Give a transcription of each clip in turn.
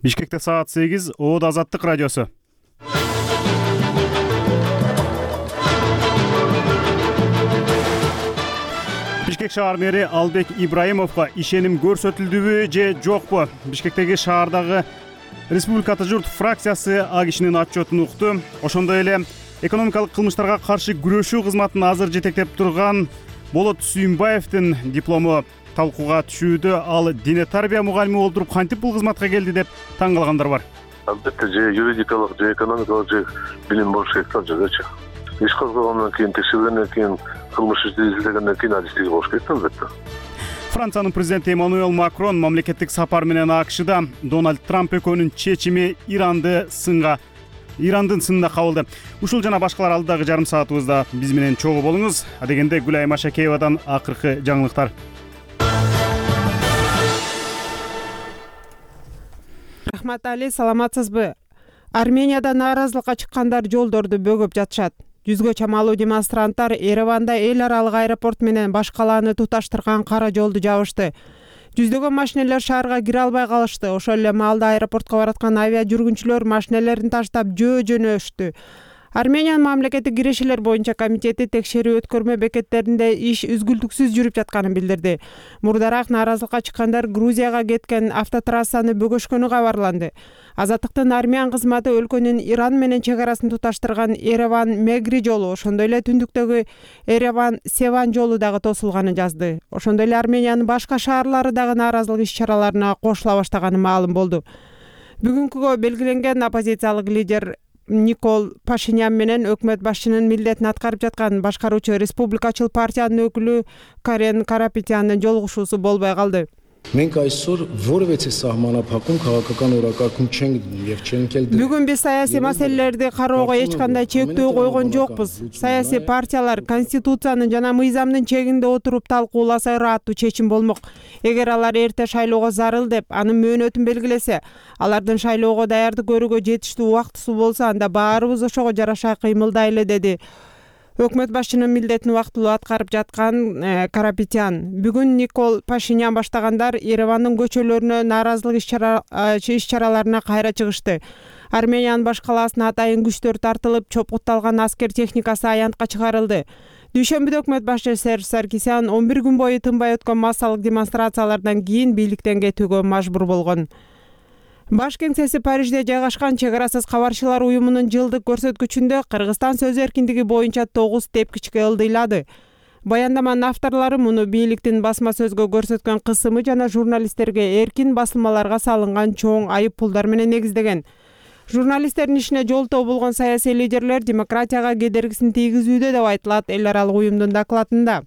Бишкекте саат 8, Оод Азаттык радиосу. Бишкек шаар мэри Албек Ибраимовго ишеним көрсөтүлдүбү же жокпу? Бишкектеги шаардагы Республиката журт фракциясы А кишинин отчетун укту. Ошондой эле экономикалык кылмыштарга каршы күрөшүү кызматын азыр жетектеп турган Болот Сүйүнбаевдин диплому талкууга түшүүдө. Ал дине тарбия мугалими болуп туруп кантип бул кызматка келди деп таң калгандар бар. Албетте же юридикалык, же экономикалык, же билим болуш керек да жогочу. Иш козгогондон кийин, текшергенден кийин, кылмыш ишти изилдегенден кийин адистиги болуш керек да албетте. Франциянын президенти Эммануэл Макрон мамлекеттик сапар менен АКШда Дональд Трамп экөөнүн чечими Ирандын сынына кабылды. Ушул жана башкалар алдыдагы жарым саатыбызда биз менен чогуу болуңуз. Адегенде Гүлайым Ашакеевадан акыркы жаңылыктар. Рахмат Али, саламатсызбы? Арменияда нааразылыкка чыккандар жолдорду бөгөп жатышат. Жүзгө чамалуу демонстранттар Ереванда эл аралык аэропорт менен баш калааны туташтырган кара жолду жабышты. Жүздөгөн машинелер шаарга кире албай калышты. Ошол эле маалда аэропортко бараткан авиа жүргүнчүлөр машинелерин таштап жөнөштү. Армениянын мамлекеттик кирешелер боюнча комитети текшерүү өткөрмө бекеттеринде иш үзгүлтүксүз жүрүп жатканын билдирди. Мурдараак нааразылыкка чыккандар Грузияга кеткен автотрассаны бөгөшкөнү кабарланды. Азаттыктын армян кызматы өлкөнүн Иран менен чек арасын туташтырган Ереван-Мегри жолу, ошондой эле түндүктөгү Ереван-Севан жолу дагы тосулганын жазды. Ошондой эле Армениянын башка шаарлары дагы нааразылык иш-чараларына кошула баштаганы маалым болду. Бүгүнкүгө белгиленген оппозициялык лидер Никол Пашинян менен өкмөт башчынын милдетин аткарып жаткан башкаруучу республикачыл партиянын өкүлү Карен Карапетяндын жолугушуусу болбой калды. Մենք այսօր որևէ սահմանափակում քաղաքական օրակարգում չենք եւ չենք էլ Бүгүн биз саясий маселелерди кароого эч кандай чектөө койгон жокпуз. Саясий партиялар конституциянын жана мыйзамдын чегинде отуруп талкууласа ыраттуу чечим болмок. Эгер алар эрте шайлоого зарыл деп анын мөөнөтүн белгилесе, алардын шайлоого даярдык көрүүгө жетиштүү убактысы болсо, анда баарыбыз ошого жараша кыймылдайлы, деди өкмөт башчынын милдетин убактылуу аткарып жаткан Карапетян. Бүгүн Никол Пашинян баштагандар Еревандын көчөлөрүнө нааразылык иш-чараларына кайра чыгышты. Армениянын баш калаасына атайын күчтөр тартылып, чопутталган аскер техникасы аянтка чыгарылды. Дүйшөмбүдө өкмөт башчы Серж Саркисян 11 күн бою тынбай өткөн массалык демонстрациялардан кийин бийликтен кетүүгө мажбур болгон. Баш кеңсеси Парижде жайгашкан чек арасыз кабарчылар уюмунун жылдык көрсөткүчүндө Кыргызстан сөз эркиндиги боюнча 9 тепкичке ылдыйлады. Баяндаманын авторлору муну бийликтин басма сөзгө көрсөткөн кысымы жана журналисттерге эркин басылмаларга салынган чоң айып пулдар менен негиздеген. Журналисттердин ишине жолтоо болгон саясий лидерлер демократияга кедергисин тийгизүүдө деп айтылат эл аралык уюмдун докладында.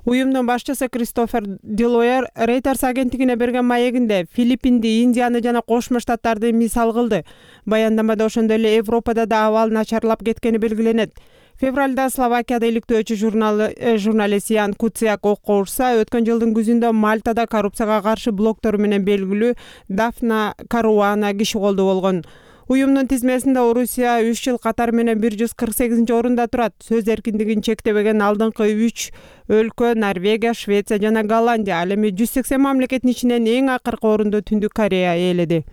Уюмдун башчысы Кристофер Делойер Reuters агенттигине берген маегинде Филиппинди, Индияны жана Кошмо Штаттарды мисал кылды. Баяндамада ошондой эле Европада да абал начарлап кеткени белгиленет. Февралда Словакияда иликтөөчү журналист Ян Куциак окко урса, өткөн жылдын күзүндө Мальтада коррупцияга каршы блогтору менен белгилүү Дафна Каруана киши колдо болгон. Уюмдун тизмесинде Орусия 3 жыл катар менен 148-орунда турат. Сөз эркиндигин чектебеген алдыңкы 3 өлкө Норвегия, Швеция жана Голландия. Ал эми 180 мамлекеттин ичинен эң акыркы орунду Түндүк Корея ээледи.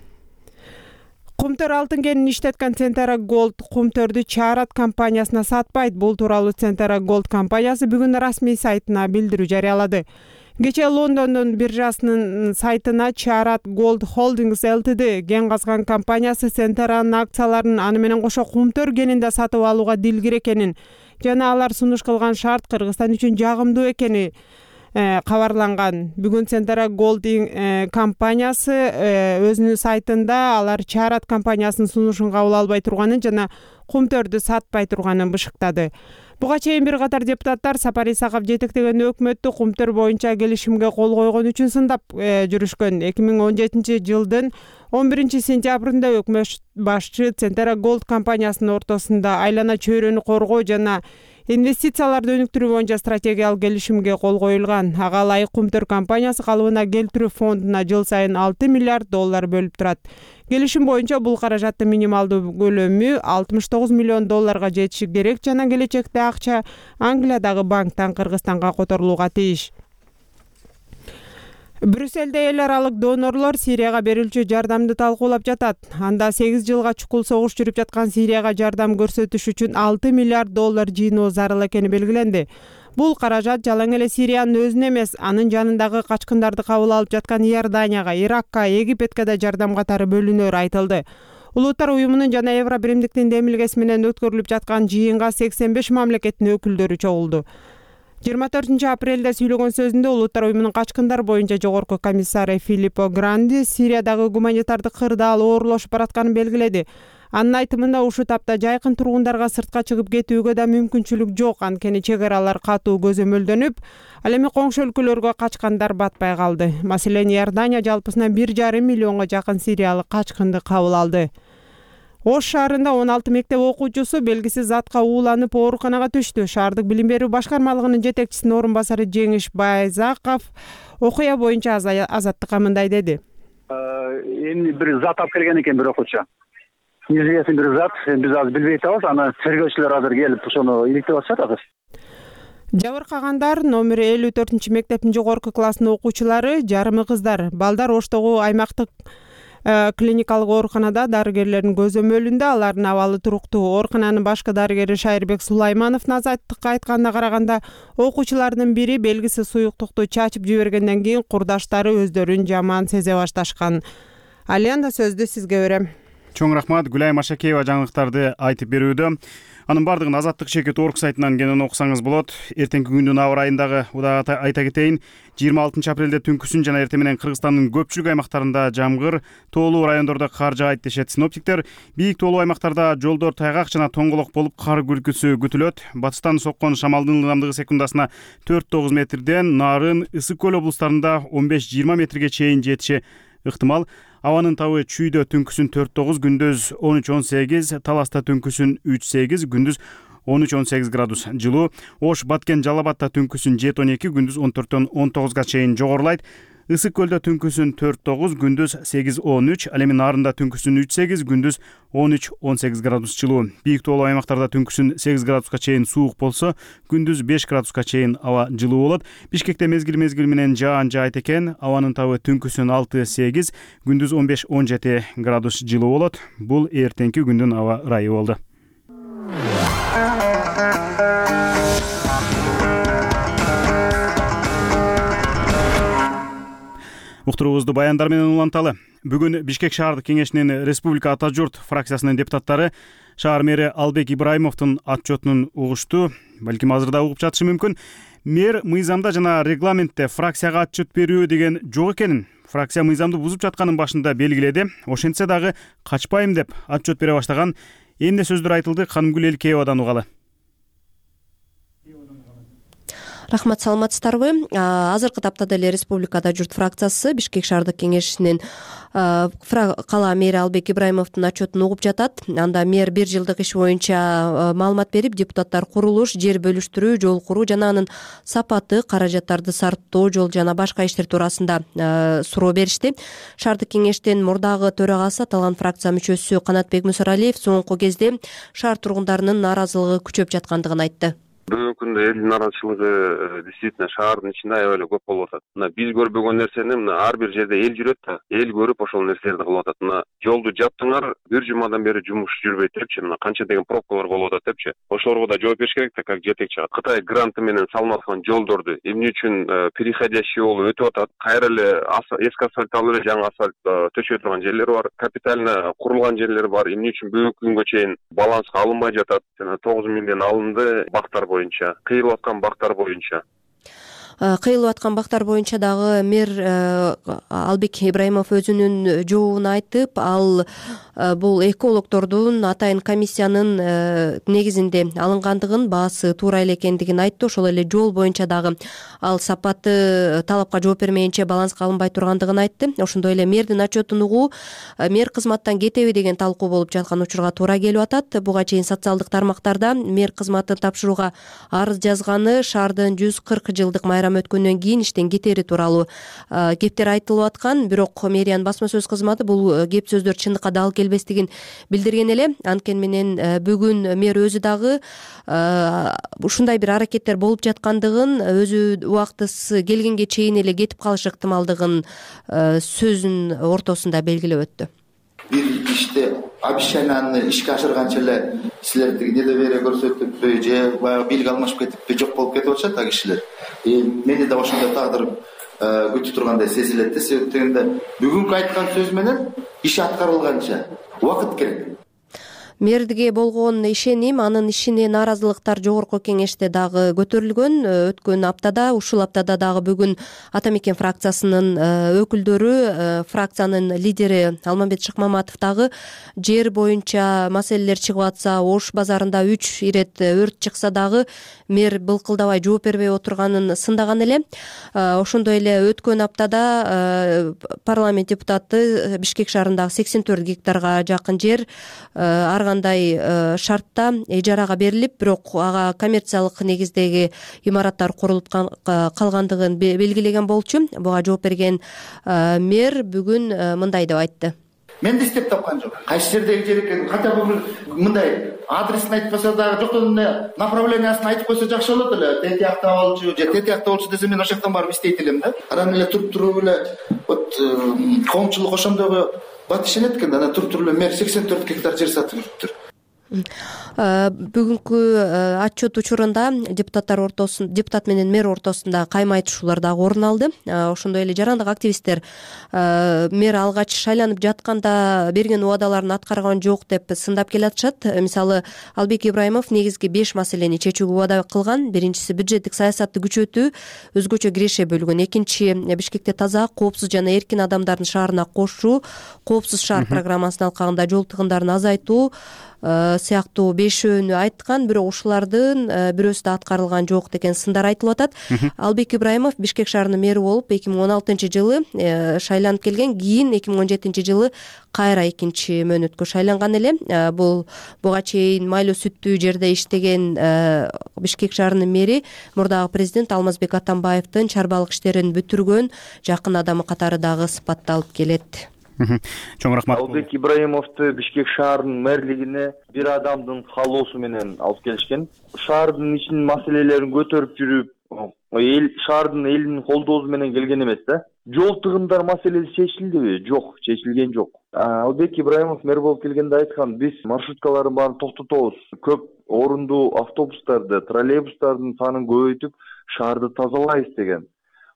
Кумтөр алтын кенин иштеткан Centera Gold кумтөрдү Чарат компаниясына сатпайт. Бул тууралуу Centera Gold компаниясы бүгүн расмий сайтына билдирүү жарыялады. Кечээ Лондондун биржасынын сайтына Чарат Gold Holdings Ltd кен казган компаниясы Centera'нын акцияларын аны менен кошо кумтөр кенинде сатып алууга дилгир экенин жана алар сунуш кылган шарт Кыргызстан үчүн жагымдуу экени кабарланган. Бүгүн Centera Gold компаниясы өзүнүн сайтында алар Чарат компаниясынын сунушун кабыл албай турганын жана кумтөрдү сатпай турганын бышыктады. Буга чейин бир катар депутаттар Сапар Исаков жетектеген өкмөттү кумтөр боюнча келишимге кол койгон үчүн сындап жүрүшкөн. 2017 жылдын 11 сентябрында өкмөт башчы Centera Gold компаниясынын ортосунда айлана чөйрөнү коргоо жана инвестицияларды өнүктүрүү боюнча стратегиялык келишимге кол коюлган. Ага ылайык кумтөр компаниясы калыбына келтирүү фондуна жыл сайын $6 миллиард бөлүп турат. Келишим боюнча бул каражаттын минималдуу көлөмү $69 миллион жетиши керек жана келечекте акча Англиядагы банктан Кыргызстанга которулууга тийиш. Брюссельде эл аралык донорлор Сирияга берилчү жардамды талкуулап жатат. Анда 8 жылга чукул согуш жүрүп жаткан Сирияга жардам көрсөтүш үчүн $6 миллиард жыйноо зарыл экени белгиленди. Бул каражат жалаң эле Сириянын өзүнө эмес, анын жанындагы качкындарды кабыл алып жаткан Иорданияга, Иракка, Египетке да жардам катары бөлүнөрү айтылды. Улуттар уюмунун жана Евро биримдиктин демилгеси менен өткөрүлүп жаткан жыйынга 85 мамлекеттин өкүлдөрү чогулду. 24 апрелде сүйлөгөн сөзүндө Улуттар уюмунун качкындар боюнча жогорку комиссары Филиппо Гранди Сириядагы гуманитардык кырдаал оорлошуп баратканын белгиледи. Анын айтымында ушул тапта жайкын тургундарга сыртка чыгып кетүүгө да мүмкүнчүлүк жок, анткени чек аралар катуу көзөмөлдөнүп, ал эми коңшу өлкөлөргө качкандар батпай калды. Маселен, Иордания жалпысынан 1,5 миллионго жакын сириялык качкынды кабыл алды. Ош шаарында 16 мектеп окуучусу белгисиз затка ууланып ооруканага түштү. Шаардык билим берүү башкармалыгынын жетекчисинин орун басары Жеңиш Байзаков окуя боюнча Азаттыкка мындай деди. Эми бир зат алып келген экен бир окуучу. Неизвестный бир зат, биз азыр билбей атабыз. Аны тергөөчүлөр азыр келип ошону иликтеп атышат азыр. Жабыркагандар номер 54 мектептин жогорку класснын окуучулары, жарымы кыздар. Балдар Оштогу аймактык клиникалык ооруканада дарыгерлердин көзөмөлүндө, алардын абалы туруктуу. Оорукананын башкы дарыгери Шайырбек Сулаймановдун Азаттыкка айтканына караганда, окуучулардын бири белгисиз суюктукту чачып жибергенден кийин курдаштары өздөрүн жаман сезе башташкан. Алenda сөздү сизге берем. Чоң рахмат, Гүлай Машакеева жаңылыктарды айтып берүүдө. Анын бардыгын Азаттык Чекит орг сайтынан кенен окусаңыз болот. Эртеңки күндүн аба ырайындагы удаа айта кетейин. 26 апрелде түнкүсүн жана эртең менен Кыргызстандын көпчүлүк аймактарында жамгыр, тоолуу райондордо кар жаайт дешет синоптиктер. Бийик тоолуу аймактарда жолдор тайгак жана тоңголок болуп кар күркүсү күтүлөт. Батыштан соккон шамалдын ылдамдыгы секундасына 4-9 метрден, Нарын, Ысык көл облустарында 15-20 метрге чейин жетиши ыктымал. Абанын табы Чүйдө түнкүсүн 4-9, күндүз 13-18, Таласта түнкүсүн 3-8, күндүз 13-18 градус жылуу. Ош, Баткен, Жалал Абадта түнкүсүн 7-12, күндүз 14-19 чейин жогорулайт. Ысык көлдө түнкүсүн 4-9, күндүз 8-13, ал эми Нарында түнкүсүн 3-8, күндүз 13-18 градус жылуу. Бийик тоолуу аймактарда түнкүсүн 8 градуска чейин суук болсо, күндүз 5 градуска чейин аба жылуу болот. Бишкекте мезгил менен жаан жаайт экен. Абанын табы түнкүсүн 6-8, күндүз 15-17 градус жылуу болот. Бул эртеңки күндүн аба ырайы болду. Уктуруубузду баяндар менен уланталы. Бүгүн Бишкек шаардык кеңешинин Республика Ата журт фракциясынын депутаттары шаар мэри Албек Ибраимовдун отчетун угушту. Балким азыр да угуп жатышы мүмкүн. Мэр мыйзамда жана регламентте фракцияга отчет берүү деген жок экенин, фракция мыйзамды бузуп жатканын башында белгиледи. Ошентсе дагы качпайм деп отчет бере баштаган. Эмне сөздөр айтылды, Канымгүл Элкеевадан угалы. Рахмат, саламатсыздарбы? Азыркы тапта деле Республикада журт фракциясы Бишкек шаардык кеңешинин кала мэри Албек Ибраимовдун отчетун угуп жатат. Анда мэр 1 жылдык иш боюнча маалымат берип, депутаттар курулуш, жер бөлүштүрүү, жол куруу жана анын сапаты, каражаттарды сарптоо, жол жана башка иштер туурасында суроо беришти. Шаардык кеңештин мурдагы төрагасы, аталган фракция мүчөсү Канатбек Мусаралиев соңку кезде шаар тургундарынын нааразылыгы күчөп жаткандыгын айтты. Бүгүнкү күндө элдин нааразычылыгы действительно шаардын ичинде аябай эле көп болуп атат. Мына биз көрбөгөн нерсени ар бир жерде эл жүрөт да, эл көрүп ошол нерселерди кылып атат. Мына жолду жаптыңар, 1 жумадан бери жумуш жүрбөйт депчи, мына канча деген пробкалар болуп атат депчи. Ошолорго да жооп бериш керек да, как жетекчи. Кытай гранты менен салынып аткан жолдорду эмне үчүн переходящий болуп өтүп атат? Кайра эле эски асфальт алып эле жаңы асфальт төшөй турган жерлер бар, капитально курулган жерлер бар. Эмне үчүн бүгүнкү күнгө чейин баланска алынбай жатат? Жана 9 миллион алынды бактар боюнча, кыйылып аткан бактар боюнча. Кыйылып аткан бактар боюнча дагы мэр Албек Ибраимов өзүнүн жообун айтып, ал бул экологдордун атайын комиссиянын негизинде алынгандыгын, баасы туура эле экендигин айтты. Ошол эле жол боюнча дагы ал сапаты талапка жооп бермейинче баланска алынбай тургандыгын айтты. Ошондой эле мэрдин отчетун угуу мэр кызматтан кетеби деген талкуу болуп жаткан учурга туура келип атат. Буга чейин социалдык тармактарда мэр кызматын тапшырууга арыз жазганы шаардын 140 жылдык майрамы байрамы өткөндөн кийин иштен кетери тууралуу кептер айтылып аткан. Бирок мэриянын басма сөз кызматы бул кеп сөздөр чындыкка дал келбестигин билдирген эле. Анткени менен бүгүн мэр өзү дагы ушундай бир аракеттер болуп жаткандыгын, өзү убактысы келгенге чейин эле кетип калыш ыктымалдыгын сөзүнүн ортосунда белгилеп өттү. Бир иште обещанияны ишке ашырганча эле силер недоверие көрсөтүппү же баягы бийлик алмашып кетиппи, жок болуп кетип атышат аг кишилер. Мени да ошондой тагдыр күтүп тургандай сезилет да. Себеп дегенде бүгүнкү айткан сөз менен иш аткарылганча убакыт керек. Мэрге болгон ишеним, анын ишине нааразылыктар жогорку кеңеште дагы көтөрүлгөн. Өткөн аптада, ушул аптада дагы бүгүн Ата мекен фракциясынын өкүлдөрү, фракциянын лидери Алмамбет Шыкмаматов дагы жер боюнча маселелер чыгып атса, Ош базарында 3 ирет өрт чыкса дагы мэр былкылдабай жооп бербей отурганын сындаган эле. Ошондой эле өткөн аптада парламент депутаты Бишкек шаарындагы 84 гектарга жакын жер кандай шартта ижарага берилип, бирок ага коммерциялык негиздеги имараттар курулуп калгандыгын белгилеген болчу. Буга жооп берген мэр бүгүн мындай деп айтты. Мен да издеп тапкан жок. Кайсы жердеги жер экенин хотя бы мындай адресин айтпаса дагы, жоктон направлениясын айтып койсо жакшы болот эле. Тетиякта болчу же тетиякта болчу десе мен ошол жактан барып издейт элем да. Анан эле туруп эле вот коомчулук ошондогу бат ишенет экен да. Анан туруп эле мэр 84 гектар жер сатып жүрүптүр. Бүгүнкү отчет учурунда депутат менен мэр ортосунда кайма айтышуулар дагы орун алды. Ошондой эле жарандык активисттер мэр алгач шайланып жатканда берген убадаларын аткарган жок деп сындап келатышат. Мисалы, Албек Ибраимов негизги 5 маселени чечүүгө убада кылган. Биринчиси бюджеттик саясатты күчөтүү, өзгөчө киреше бөлгөн. Экинчи, Бишкекте таза, коопсуз жана эркин адамдардын шаарына кошуу, коопсуз шаар программасынын алкагында жол тыгындарын азайтуу сыяктуу 5 айткан, бирок ушулардын бирөөсү да аткарылган жок деген сындар айтылып атат. Албек Ибраимов Бишкек шаарынын мэри болуп 2016-жылы шайланып келген, кийин 2017-жылы кайра экинчи мөөнөткө шайланган эле. Буга чейин майлуу сүттүү жерде иштеген Бишкек шаарынын мэри мурдагы президент Алмазбек Атамбаевдин чарбалык иштерин бүтүргөн жакын адамы катары дагы сыпатталып келет. Чоң рахмат. Албек Ибраимовду Бишкек шаарынын мэрлигине бир адамдын каалоосу менен алып келишкен. Шаардын ичинин маселелерин көтөрүп жүрүп, шаардын элинин колдоосу менен келген эмес да. Жол тыгындар маселеси чечилдиби? Жок, чечилген жок. Албек Ибраимов мэр болуп келгенде айткан, биз маршруткалардын баарын токтотобуз. Көп орундуу автобустарды, троллейбустардын санын көбөйтүп, шаарды тазалайбыз деген.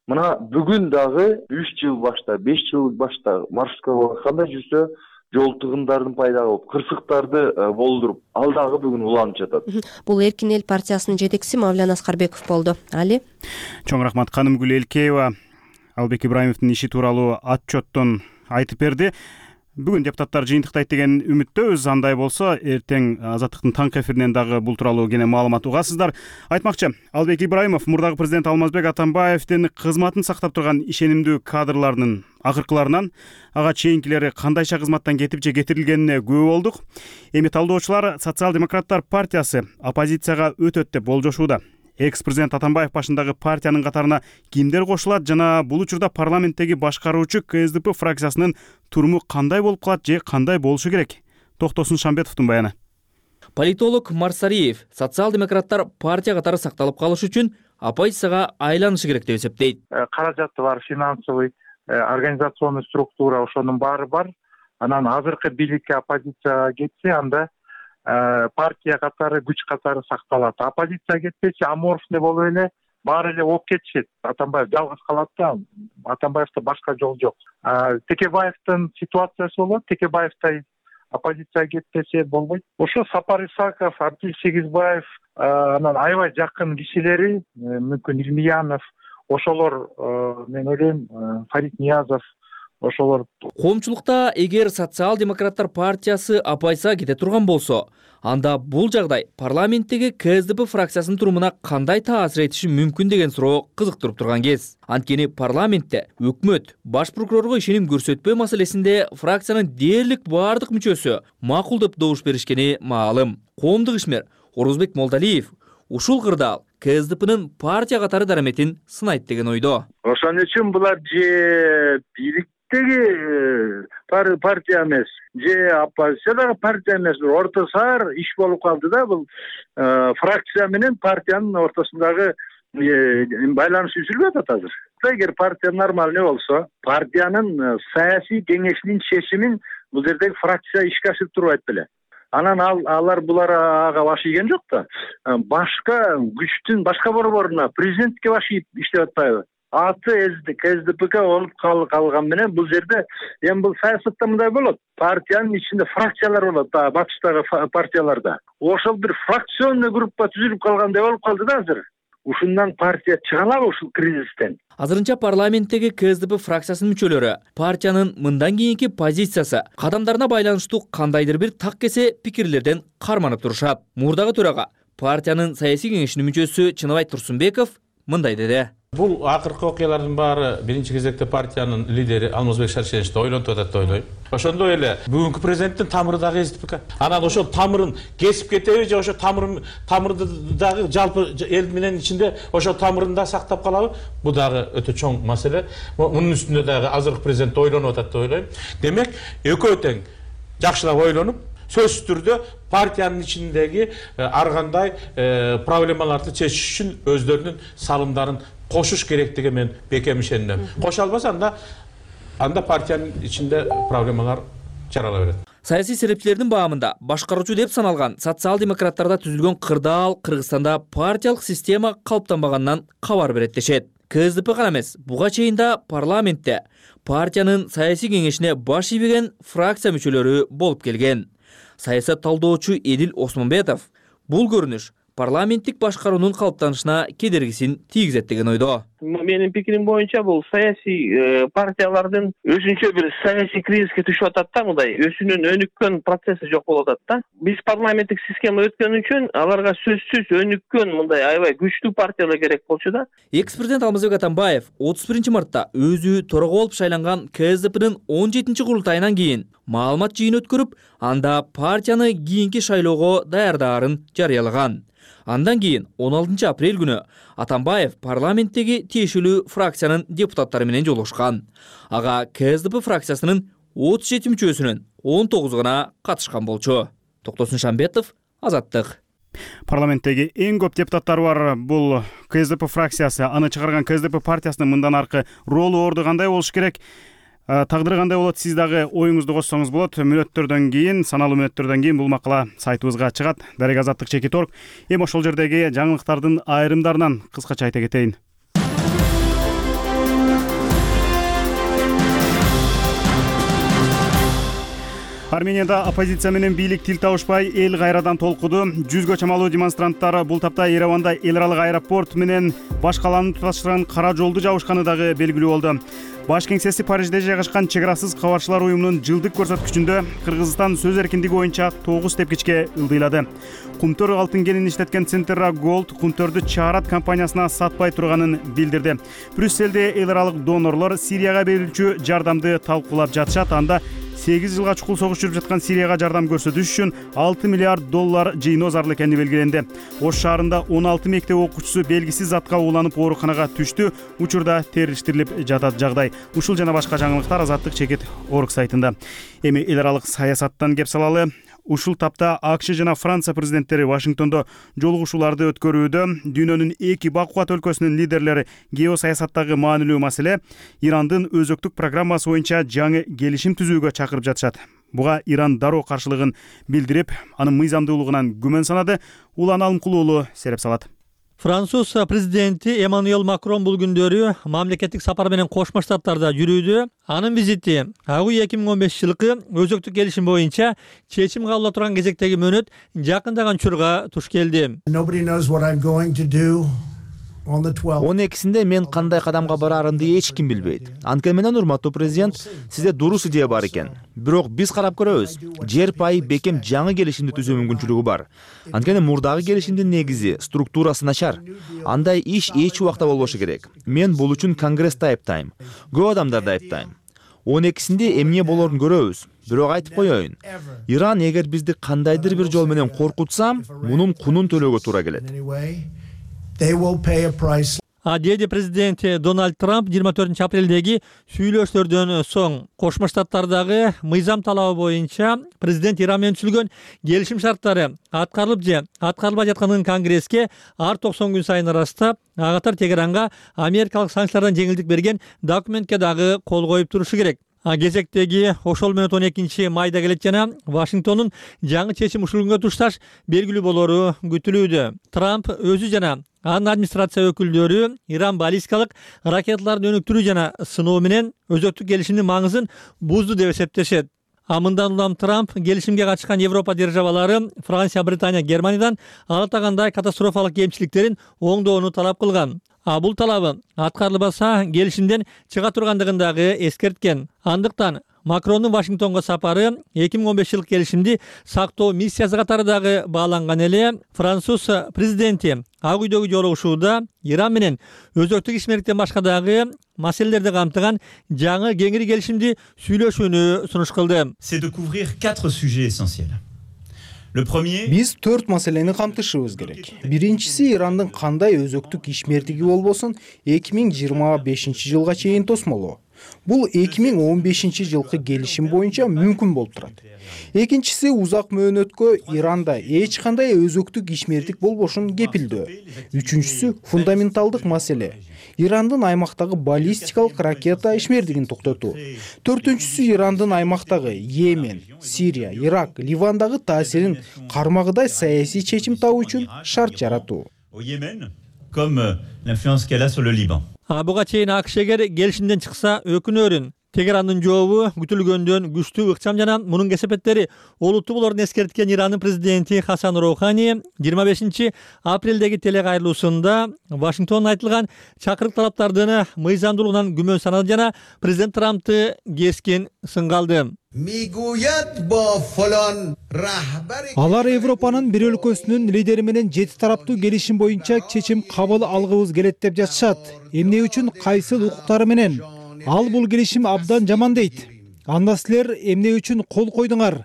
Мына бүгүн дагы 3 жыл башта, 5 жыл башта маршруткага кандай жүрсө, жол тыгындардын пайда болуп, кырсыктарды болдуруп, ал дагы бүгүн уланып жатат. Бул Эркин эл партиясынын жетекчиси Мавлян Аскарбеков болду. Али. Чоң рахмат. Канымгүл Элкеева Албек Ибраимовдун иши тууралуу отчеттон айтып берди. Бүгүн депутаттар жыйынтыктайт деген үмүттөбүз. Андай болсо, эртең Азаттыктын таңкы эфиринен дагы бул тууралуу кене маалымат угасыздар. Айтмакчы, Албек Ибраимов мурдагы президент Алмазбек Атамбаевдин кызматын сактап турган ишенимдүү кадрларынын акыркыларынан ага чейинкилери кандайча кызматтан кетип же кетирилгенине күбө болдук. Эми талдоочулар Социал-демократтар партиясы оппозицияга өтөт деп болжошууда. Экс-президент Атамбаев башындагы партиянын катарына кимдер кошулат жана бул учурда парламенттеги башкаруучу КСДП фракциясынын туруму кандай болуп калат же кандай болушу керек? Токтосун Шамбетовдун баяны. Политолог Марсариев социал-демократтар партия катары сакталып калыш үчүн оппозицияга айланышы керек деп эсептейт. Каражаты бар, финансовый, организационный структура, ошонун баары бар. Анан азыркы бийликке оппозицияга кетсе, анда партия катары, күч катары сакталат. Оппозиция кетпечи, аморфный болуп эле баары эле ооп кетишет. Атамбаев жалгыз калат да, Атамбаевда башка жол жок. Текебаевдин ситуациясы болот, Текебаевдай оппозиция кетпесе болбойт. Ошо Сапар Исаков, Абдил Сегизбаев, анан аябай жакын кишилери, мүмкүн Илмиянов, ошолор, мен ойлойм, Фарид Ниязов, ошолор. Коомчулукта эгер социал-демократтар партиясы оппозицияга кете турган болсо, анда бул жагдай парламенттеги КСДП фракциясынын турумуна кандай таасир этиши мүмкүн деген суроо кызыктырып турган кез. Анткени парламентте өкмөт баш прокурорго ишеним көрсөтпөө маселесинде фракциянын дээрлик баардык мүчөсү макул деп добуш беришкени маалым. Коомдук ишмер Орозбек Молдалиев ушул кырдаал КСДПнын партия катары дараметин сынайт деген ойдо. Ошон үчүн булар же бийликтеги партия эмес, же оппозициядагы партия эмес, орто саар иш болуп калды да. Бул фракция менен партиянын ортосундагы байланыш үзүлүп атат азыр. Эгер партия нормальный болсо, партиянын саясий кеңешинин чечимин бул жердеги фракция ишке ашырып турбайт беле. Анан алар булар ага баш ийген жок да. Башка күчтүн башка борборуна, президентке баш ийип иштеп атпайбы? Аты КСДПК болуп калган менен бул жерде эми бул саясатта мындай болот. Партиянын ичинде фракциялар болот, батыштагы партияларда. Ошол бир фракционный группа түзүлүп калгандай болуп калды да азыр. Ушундан партия чыга алабы ушул кризистен? Азырынча парламенттеги КСДП фракциясынын мүчөлөрү партиянын мындан кийинки позициясы, кадамдарына байланыштуу кандайдыр бир так кесе пикирлерден карманып турушат. Мурдагы төрага партиянын саясий кеңешинин мүчөсү Чыныбай Турсунбеков мындай деди. Бул акыркы окуялардын баары биринчи кезекте партиянын лидери Алмазбек Шаршеновичти ойлонтуп атат деп ойлойм. Ошондой эле бүгүнкү президенттин тамыры дагы КСДП. Анан ошол тамырын кесип кетеби же ошо тамырды дагы жалпы эл менен ичинде ошол тамырын да сактап калабы? Бул дагы өтө чоң маселе. Мунун үстүндө дагы азыркы президент ойлонуп атат деп ойлойм. Демек, экөө тең жакшылап ойлонуп, сөзсүз түрдө партиянын ичиндеги ар кандай проблемаларды чечиш үчүн өздөрүнүн салымдарын кошуш керектиги мен бекем ишенем. Кошо албаса анда партиянын ичинде проблемалар жарала берет. Саясий серепчилердин баамында башкаруучу деп саналган социал-демократтарда түзүлгөн кырдаал Кыргызстанда партиялык система калыптанбаганынан кабар берет дешет. КСДП гана эмес, буга чейин да парламентте партиянын саясий кеңешине баш ийбеген фракция мүчөлөрү болуп келген. Саясат талдоочу Эдил Осмонбетов бул көрүнүш парламенттик башкаруунун калыптанышына кедергисин тийгизет деген ойдо. Менин пикирим боюнча бул саясий партиялардын өзүнчө бир саясий кризиске түшүп атат да, мындай өзүнүн өнүккөн процесси жок болуп атат да. Биз парламенттик система өткөн үчүн аларга сөзсүз өнүккөн мындай аябай күчтүү партиялар керек болчу да. Экс-президент Алмазбек Атамбаев 31-мартта өзү төрага болуп шайланган КСДПнын 17-курултайынан кийин маалымат жыйын өткөрүп, анда партияны кийинки шайлоого даярдаарын жарыялаган. Андан кийин 16 апрель күнү Атамбаев парламенттеги тиешелүү фракциянын депутаттары менен жолугушкан. Ага КСДП фракциясынын 37 мүчөсүнүн 19 гана катышкан болчу. Токтосун Шамбетов, Азаттык. Парламенттеги эң көп депутаттары бар бул КСДП фракциясы. Аны чыгарган КСДП партиясынын мындан аркы ролу орду кандай болуш керек? Тагдыры кандай болот? Сиз дагы оюңузду коссоңуз болот. Мүнөттөрдөн кийин, саналуу мүнөттөрдөн кийин бул макала сайтыбызга чыгат. Дарек Азаттык /Org. Эми ошол жердеги жаңылыктардын айрымдарынан кыскача айта кетейин. Арменияда оппозиция менен бийлик тил табышпай эл кайрадан толкуду. 100гө чамалуу демонстранттар бул тапта Ереванда эл аралык аэропорт менен баш каланы туташтырган кара жолду жабышканы дагы белгилүү болду. Баш кеңсеси Парижде жайгашкан чек арасыз кабарчылар уюмунун жылдык көрсөткүчүндө Кыргызстан сөз эркиндиги боюнча 9 тепкичке ылдыйлады. Кумтөр алтын кенин иштеткен Центра Gold кумтөрдү чаарат компаниясына сатпай турганын билдирди. Брюсселде эл аралык донорлор Сирияга берилчү жардамды талкуулап жатышат. Анда 8 жылга чукул согуш жүрүп жаткан Сирияга жардам көрсөтүш үчүн $6 миллиард жыйноо зарыл экени белгиленди. Ош шаарында 16 мектеп окуучусу белгисиз затка ууланып ооруканага түштү. Учурда териштирилип жатат жагдай. Ушул жана башка жаңылыктар Азаттык /Org сайтында. Эми эл аралык саясаттан кеп салалы. Ушул тапта АКШ жана Франция президенттери Вашингтондо жолугушууларды өткөрүүдө. Дүйнөнүн эки бакубат өлкөсүнүн лидерлери геосаясаттагы маанилүү маселе Ирандын өзөктүк программасы боюнча жаңы келишим түзүүгө чакырып жатышат. Буга Иран дароо каршылыгын билдирип, анын мыйзамдуулугунан күмөн санады. Улан Алымкулуу уулу сереп салат. Француз президенти Эммануэль Макрон бул күндөрү мамлекеттик сапар менен Кошмо Штаттарда жүрүүдө. Анын визити агуу 2015 жылкы өзөктүк келишим боюнча чечим кабыл турган кезектеги мөөнөт жакындаган учурга туш келди. 12-синде мен кандай кадамга барарымды эч ким билбейт. Анткени менен урматтуу президент, сизде дурус идея бар экен. Бирок биз карап көрөбүз. Жер пайы бекем жаңы келишимди түзүү мүмкүнчүлүгү бар. Анткени мурдагы келишимдин негизи, структурасы начар. Андай иш эч убакта болбошу керек. Мен бул үчүн Конгрессти айыптайм. Көп адамдарды айыптайм. 12-синде эмне болорун көрөбүз. Бирок айтып коеюн. Иран эгер бизди кандайдыр бир жол менен коркутса, мунун кунун төлөөгө туура келет. Деди президент Дональд Трамп 24 апрелдеги сүйлөшүүлөрдөн соң Кошмо Штаттардагы мыйзам талабы боюнча президент Иран менен түзүлгөн келишим шарттары аткарылып же аткарылбай жатканын Конгресске ар 90 күн сайын ырастап, ага катар Тегеранга америкалык санкциялардан жеңилдик берген документке дагы кол коюп турушу керек. Кезектеги ошол менен 12 майда келет жана Вашингтондун жаңы чечим ушул күнгө тушташ белгилүү болору күтүлүүдө. Трамп өзү жана анын администрация өкүлдөрү Иран баллистикалык ракеталарын өнүктүрүү жана сыноо менен өзөктүк келишимдин маңызын бузду деп эсептешет. Мындан улам Трамп келишимге катышкан Европа державалары Франция, Британия, Германиядан алатагандай катастрофалык кемчиликтерин оңдоону талап кылган. Бул талабы аткарылбаса келишимден чыга тургандыгын дагы эскерткен. Андыктан Макрондун Вашингтонго сапары 2015 жылкы келишимди сактоо миссиясы катары дагы бааланган эле. Француз президенти Ак үйдөгү жолугушууда Иран менен өзөктүк ишмердиктен башка дагы маселелерди камтыган жаңы кеңири келишимди сүйлөшүүнү сунуш кылды. C'est de couvrir 4 sujets essentiels. Биз 4 маселени камтышыбыз керек. Биринчиси Ирандын кандай өзөктүк ишмердиги болбосун 2025 жылга чейин тосмолоо. Бул 2015 жылкы келишим боюнча мүмкүн болуп турат. Экинчиси узак мөөнөткө Иранда эч кандай өзөктүк ишмердик болбошун кепилдөө. Үчүнчүсү фундаменталдык маселе. Ирандын аймактагы баллистикалык ракета ишмердигин токтотуу. Төртүнчүсү Ирандын аймактагы Йемен, Сирия, Ирак, Ливандагы таасирин кармагыдай саясий чечим табуу үчүн шарт жаратуу. Au Yémen, comme l'influence qu'elle a sur le Liban. Буга чейин АКШ эгер келишимден чыкса өкүнөрүн. Тегерандын жообу күтүлгөндөн күчтүү ыкчам жана мунун кесепеттери олуттуу болорун эскерткен Ирандын президенти Хасан Роухани 25 апрелдеги телекайрылуусунда Вашингтондон айтылган чакырык талаптардын мыйзамдуулугунан күмөн санады жана президент Трампты кескин сынга алды. Алар Европанын бир өлкөсүнүн лидери менен 7 тараптуу келишим боюнча чечим кабыл алгыбыз келет деп жатышат. Эмне үчүн кайсыл укуктары менен? Ал бул келишим абдан жаман дейт. Анда силер эмне үчүн кол койдуңар?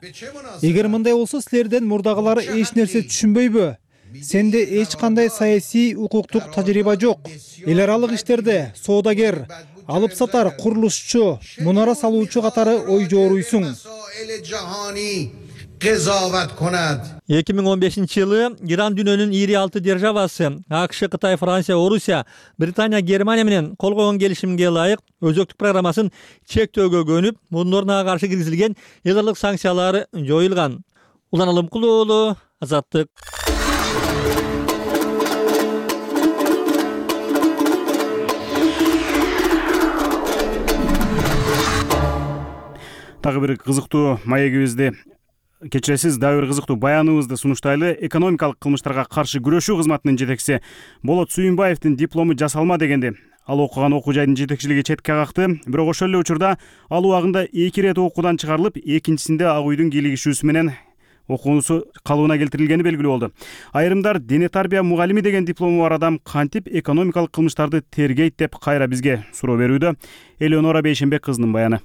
Эгер мындай болсо силерден мурдагылар эч нерсе түшүнбөйбү? Сенде эч кандай саясий укуктук тажрыйба жок. Эл аралык иштерде соодагер, алып сатар, курулушчу, мунара салуучу катары ой жооруйсуң. 2015 жылы Иран дүйнөнүн 26 державасы АКШ, Кытай, Франция, Орусия, Британия, Германия менен кол койгон келишимге ылайык өзөктүк программасын чектөөгө көнүп, мунун ордуна каршы киргизилген эл аралык санкциялар жоюлган. Улан Алымкулуу уулу, Азаттык. Дагы бир кызыктуу маегибизди кечиресиз, дагы бир кызыктуу баяныбызды сунуштайлы. Экономикалык кылмыштарга каршы күрөшүү кызматынын жетекчиси Болот Сүйүнбаевдин диплому жасалма дегенди. Ал окуган окуу жайдын жетекчилиги четке какты. Бирок ошол эле учурда ал убагында 2 ирет окуудан чыгарылып, экинчисинде Ак үйдүн кийлигишүүсү менен окуусу калыбына келтирилгени белгилүү болду. Айрымдар дене тарбия мугалими деген диплому бар адам кантип экономикалык кылмыштарды тергейт деп кайра бизге суроо берүүдө. Элеонора Бейшенбек кызынын баяны.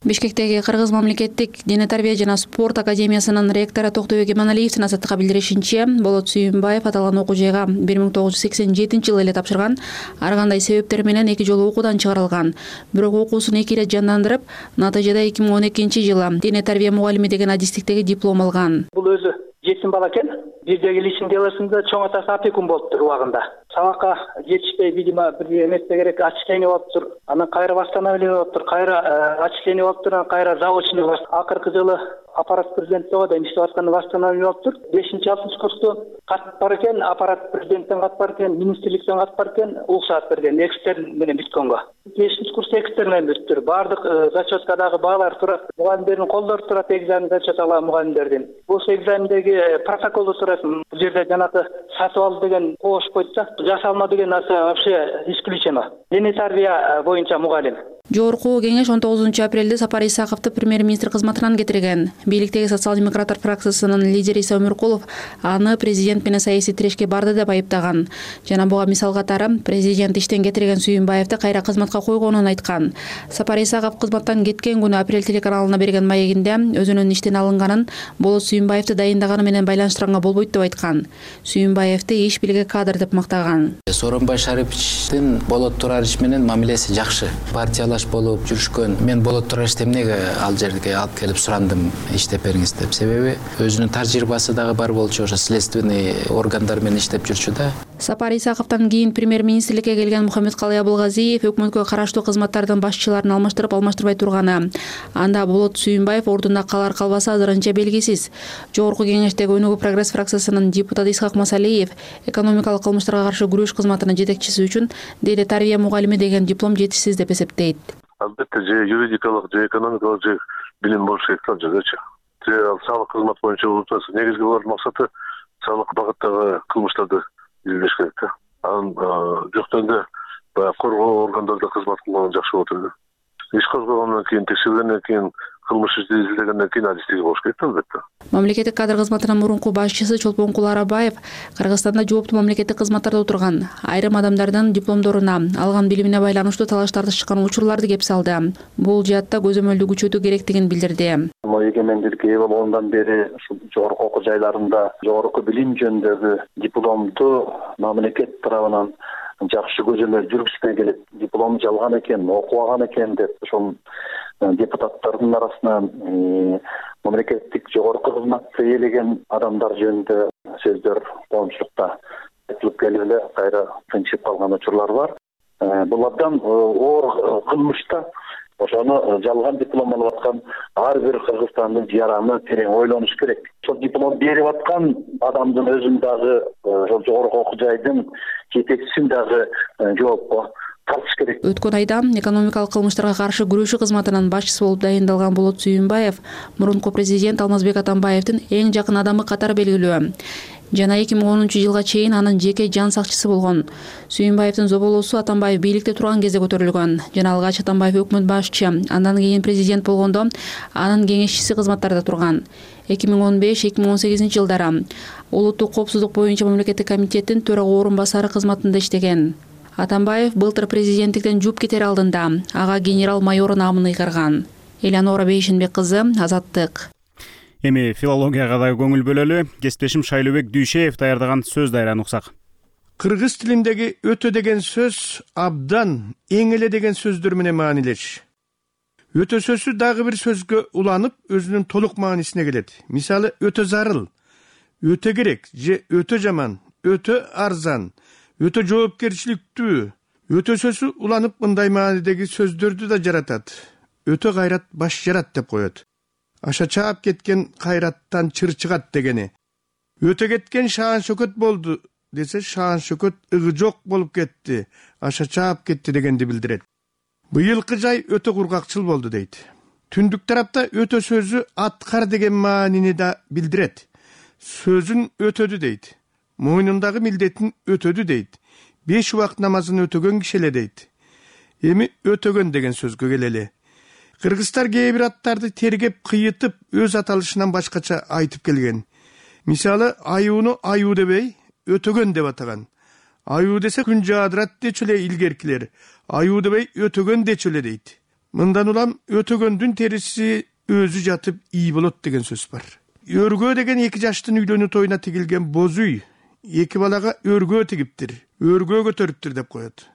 Бишкектеги Кыргыз мамлекеттик дене тарбия жана спорт академиясынын ректору Токтобек Эманалиевдин Азаттыкка билдиришинче, Болот Сүйүнбаев аталган окуу жайга 1987 жылы эле тапшырган. Ар кандай себептер менен 2 жолу окуудан чыгарылган. Бирок окуусун 2 ирет жандандырып, натыйжада 2012 жылы дене тарбия мугалими деген адистиктеги диплом алган. Бул өзү жетим бала экен. Бирдеги личный делосунда чоң атасы опекун болуптур убагында. Сабакка жетишпей, видимо, бир эмесе керек, отчисление болуптур. Анан кайра восстановление болуптур, кайра отчисление болуптур, анан кайра заочный болуптур. Акыркы жылы аппарат президенттиги да иштеп атканда восстановление болуптур. 5-6 курсту катып бар экен, аппарат президенттен катып бар экен, министрликтен катып бар экен, уруксаат берген, экстерн менен бүткөнгө. 5 курс экстерн менен бүттүр. Бардык зачеткадагы баалар турат, мугалимдердин колдору турат, экзамен зачет алган мугалимдердин. Бул экзамендеги протоколду турат. Бул жерде жанагы сатып алды деген коош койт да, жасалма деген нарсе вообще исключено. Дене тарбия боюнча мугалим. Жогорку кеңеш 19 апрелде Сапар Исаковду премьер-министр кызматынан кетирген. Бийликтеги социал-демократтар фракциясынын лидери Иса Өмүркулов аны президент менен саясий тирешке барды деп айыптаган. Жана буга мисал катары президент иштен кетирген Сүйүнбаевди кайра кызматка койгонун айткан. Сапар Исаков кызматтан кеткен күнү Апрель телеканалына берген маегинде өзүнүн иштен алынганын Болот Сүйүнбаевди дайындаганы менен байланыштырганга болбойт деп айткан. Сүйүнбаевди иш билге кадр деп мактаган. Сооронбай Шариповичтин Болот Турарич менен мамилеси жакшы. Партиялаш болуп жүрүшкөн. Мен Болот Тураричти эмнеге ал жерге алып келип сурандым иштеп бериңиз деп. Себеби өзүнүн тажрыйбасы дагы бар болчу, ошо следственный органдар менен иштеп жүрчү да. Сапар Исаковдон кийин премьер-министрликке келген Мухаммедкалый Абылгазиев өкмөткө караштуу кызматтардын башчыларын алмаштырбай турганы. Анда Болот Сүйүнбаев ордунда калар калбасы азырынча белгисиз. Жогорку кеңештеги Өнүгүү прогресс фракциясынын депутаты Исхак Масалиев экономикалык кылмыштарга каршы күрөш кызматынын жетекчиси үчүн деди тарбия мугалими деген диплом жетишсиз деп эсептейт. Албетте же юридикалык, же экономикалык, же билим болуш керек да жердечи. Же салык кызмат боюнча болуп негизги булардын максаты салык багыттагы кылмыштарды изилдеш керек да. Анын жоктогонда баягы коргоо органдарында кызмат кылган жакшы болот эле. Иш козгогондон кийин, текшергенден кийин, кылмыш ишти изилдегенден кийин адистиги болуш керек да албетте. Мамлекеттик кадр кызматынын мурунку башчысы Чолпонкул Арабаев Кыргызстанда жооптуу мамлекеттик кызматтарда отурган айрым адамдардын дипломдоруна, алган билимине байланыштуу талаш тартыш чыккан учурларды кеп салды. Бул жаатта көзөмөлдү күчөтүү керектигин билдирди. Эгемендикке ээ болгондон бери жогорку окуу жайларында жогорку билим жөнүндөгү дипломду мамлекет тарабынан жакшы көзөмөл жүргүзбөй келет. Диплом жалган экен, окубаган экен деп ошол депутаттардын арасынан мамлекеттик жогорку кызматты ээлеген адамдар жөнүндө сөздөр коомчулукта айтылып келип эле кайра тынчып калган учурлар бар. Булардан оор кылмышта ошону жалган диплом алып аткан ар бир кыргызстандын жараны терең ойлонуш керек. Ошол диплом берип аткан адамдын өзүн дагы ошол жогорку окуу жайдын жетекчисин дагы жоопко тартыш керек. Өткөн айда экономикалык кылмыштарга каршы күрөшүү кызматынын башчысы болуп дайындалган Болот Сүйүнбаев мурунку президент Алмазбек Атамбаевдин эң жакын адамы катары белгилүү. Жана 2010-жылга чейин анын жеке жан сакчысы болгон. Сүйүнбаевдин зоболоосу Атамбаев бийликте турган кезде көтөрүлгөн. Жана алгач Атамбаев өкмөт башчы, андан кийин президент болгондо анын кеңешчиси кызматтарда турган. 2015-2018 жылдары улуттук коопсуздук боюнча мамлекеттик комитеттин төрага орун басары кызматында иштеген. Атамбаев былтыр президенттиктен жууп кетер алдында ага генерал-майор наамын ыйгарган. Элеонора Бейшенбек кызы, Азаттык. Эми филологияга да көңүл бөлөлү. Кесиптешим Шайлообек Дүйшеев даярдаган сөз дайраны уксак. Кыргыз тилиндеги өтө деген сөз абдан, эң эле деген сөздөр менен маанилеш. Өтө сөзү дагы бир сөзгө уланып, өзүнүн толук маанисине келет. Мисалы, өтө зарыл, өтө керек же өтө жаман, өтө арзан, өтө жоопкерчиликтүү. Өтө сөзү уланып мындай маанидеги сөздөрдү да жаратат. Өтө кайрат баш жарат деп коет. Аша чаап кеткен кайраттан чыр чыгат дегени. Өтө кеткен шаан шөкөт болду десе, шаан шөкөт ыгы жок болуп кетти, аша чаап кетти дегенди билдирет. Быйылкы жай өтө кургакчыл болду дейт. Түндүк тарапта өтө сөзү аткар деген маанини да билдирет. Сөзүн өтөдү дейт. Мойнундагы милдетин өтөдү дейт. 5 убакыт намазын өтөгөн киши эле дейт. Эми өтөгөн деген сөзгө келели. Кыргыздар кээ бир аттарды тергеп, кыйытып, өз аталышынан башкача айтып келген. Мисалы, аюуну аюу дебей, өтөгөн деп атаган. Аюу десе күн жаадырат дечү эле илгеркилер. Аюу дебей, өтөгөн дечү эле дейт. Мындан улам өтөгөндүн териси өзү жатып ий болот деген сөз бар. Өргөө деген 2 жаштын үйлөнүү тоюна тигилген боз үй 2 балага өргөө тигиптир, өргөө көтөрүптүр деп коет.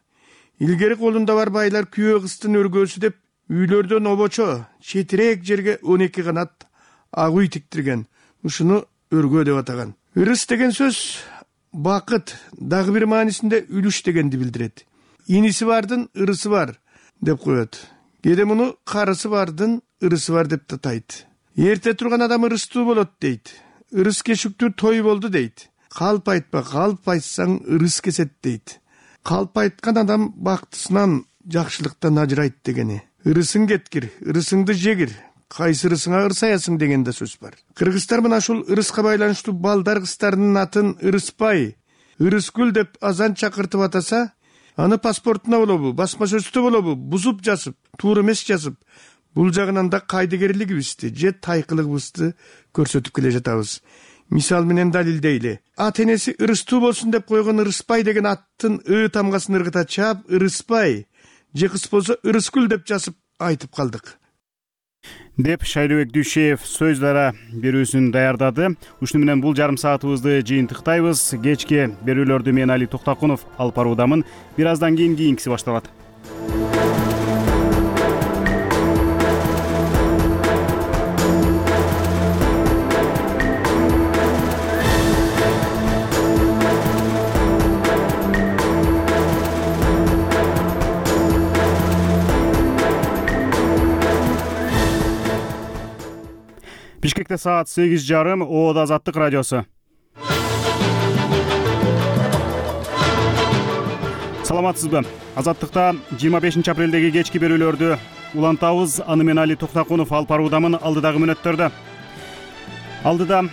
Илгери колунда бар байлар күйөө кыздын өргөөсү деп үйлөрдөн обочо, четирээк жерге 12 канат ак үй тиктирген. Ушуну өргөө деп атаган. Ырыс деген сөз бакыт, дагы бир маанисинде үлүш дегенди билдирет. Иниси бардын ырысы бар деп коет. Кээде муну карысы бардын ырысы бар деп татайт. Эрте турган адам ырыстуу болот дейт. Ырыс кешүктүү той болду дейт. Калп айтпа, калп айтсаң ырыс кесет дейт. Калп айткан адам бактысынан, жакшылыктан ажырайт дегени. Ырысың кеткир, ырысыңды жегир, кайсы ырысыңа ырсаясың деген да сөз бар. Кыргыздар мына ушул ырыска байланыштуу балдар кыздарынын атын Ырыспай, Ырыскүл деп азан чакыртып атаса, аны паспортуна болобу, басма сөзтө болобу бузуп жазып, туура эмес жазып, бул жагынан да кайдыгерлигибизди же тайкылыгыбызды көрсөтүп келе жатабыз. Мисал менен далилдейли. Ат энеси Ырыстуу болсун деп койгон Ырыспай деген аттын тамгасын ыргыта чаап Ырыспай же кыз болсо Ырыскүл деп жазып айтып калдык деп Шайлообек Дүйшеев сөз дара берүүсүн даярдады. Ушуну менен бул жарым саатыбызды жыйынтыктайбыз. Кечки берүүлөрдү мен Али Токтакунов алып баруудамын. Бир аздан кийинкиси башталат. Бишкекте саат 8:30. ООД Азаттык радиосу. Саламатсызбы? Азаттыкта 25 апрелдеги кечки берүүлөрдү улантабыз. Аны мен Али Токтакунов алып баруудамын. Алдыдагы мүнөттөрдө. Алдыда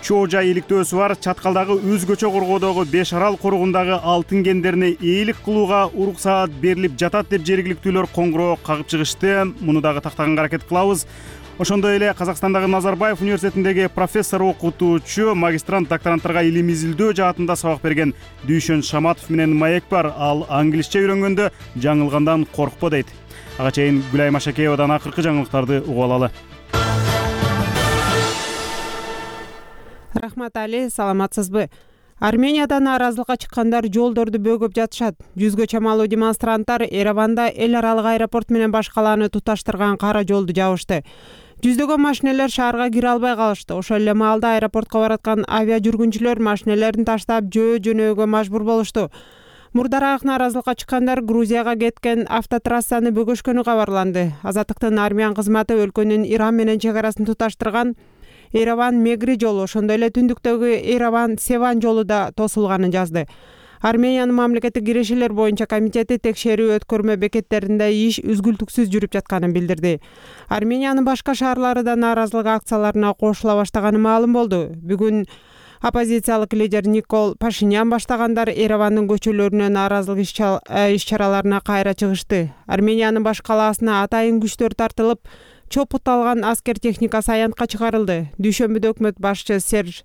чоо жай иликтөөсү бар. Чаткалдагы өзгөчө коргоодогу Беш Арал коругундагы алтын кендерине ээлик кылууга уруксаат берилип жатат деп жергиликтүүлөр коңгуроо кагып чыгышты. Муну дагы тактаганга аракет кылабыз. Ошондой эле Казакстандагы Назарбаев университетиндеги профессор, окутуучу, магистрант, докторанттарга илим изилдөө жаатында сабак берген Дүйшөн Шаматов менен маек бар. Ал англисче үйрөнгөндө жаңылгандан коркпо дейт. Ага чейин Гүлайым Ашакеевадан акыркы жаңылыктарды угуп алалы. Рахмат Али, саламатсызбы? Арменияда нааразылыкка чыккандар жолдорду бөгөп жатышат. Жүзгө чамалуу демонстранттар Ереванда эл аралык аэропорт менен башкаланы туташтырган кара жолду жабышты. Жүздөгөн машинелер шаарга кире албай калышты. Ошол эле маалда аэропортко бараткан авиа жүргүнчүлөр машинелерин таштап жөнөөгө мажбур болушту. Мурдараак нааразылыкка чыккандар Грузияга кеткен автотрассаны бөгөшкөнү кабарланды. Азаттыктын армян кызматы өлкөнүн Иран менен чек арасын туташтырган Ереван-Мегри жолу, ошондой эле түндүктөгү Ереван-Севан жолу да тосулганын жазды. Армениянын мамлекеттик кирешелер боюнча комитети текшерүү өткөрмө бекеттеринде иш үзгүлтүксүз жүрүп жатканын билдирди. Армениянын башка шаарлары да нааразылык акцияларына кошула баштаганы маалым болду. Бүгүн оппозициялык лидер Никол Пашинян баштагандар Еревандын көчөлөрүнө нааразылык иш-чараларына кайра чыгышты. Армениянын баш калаасына атайын күчтөр тартылып, чопутталган аскер техникасы аянтка чыгарылды. Дүйшөмбүдө өкмөт башчы Серж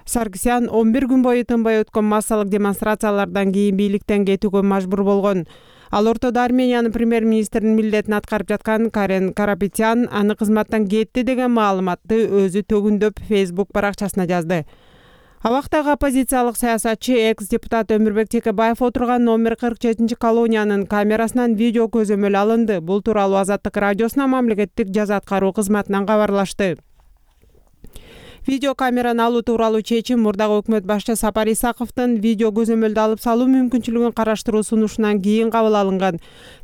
Саргсян 11 күн бою тынбай өткөн массалык демонстрациялардан кийин бийликтен кетүүгө мажбур болгон. Ал ортодо Армениянын премьер-министринин милдетин аткарып жаткан Карен Карапетян аны кызматтан кетти деген маалыматты өзү төгүндөп Facebook баракчасына жазды. Абактагы оппозициялык саясатчы экс-депутат Өмүрбек Текебаев отурган номер 47 колониянын камерасынан видео көзөмөл алынды. Бул тууралуу Азаттык радиосуна мамлекеттик жаза аткаруу кызматынан кабарлашты. Видео камераны алуу тууралуу чечим мурдагы өкмөт башчы Сапар Исаковдун видео көзөмөлдү алып салуу мүмкүнчүлүгүн караштыруу сунушунан кийин кабыл алынган.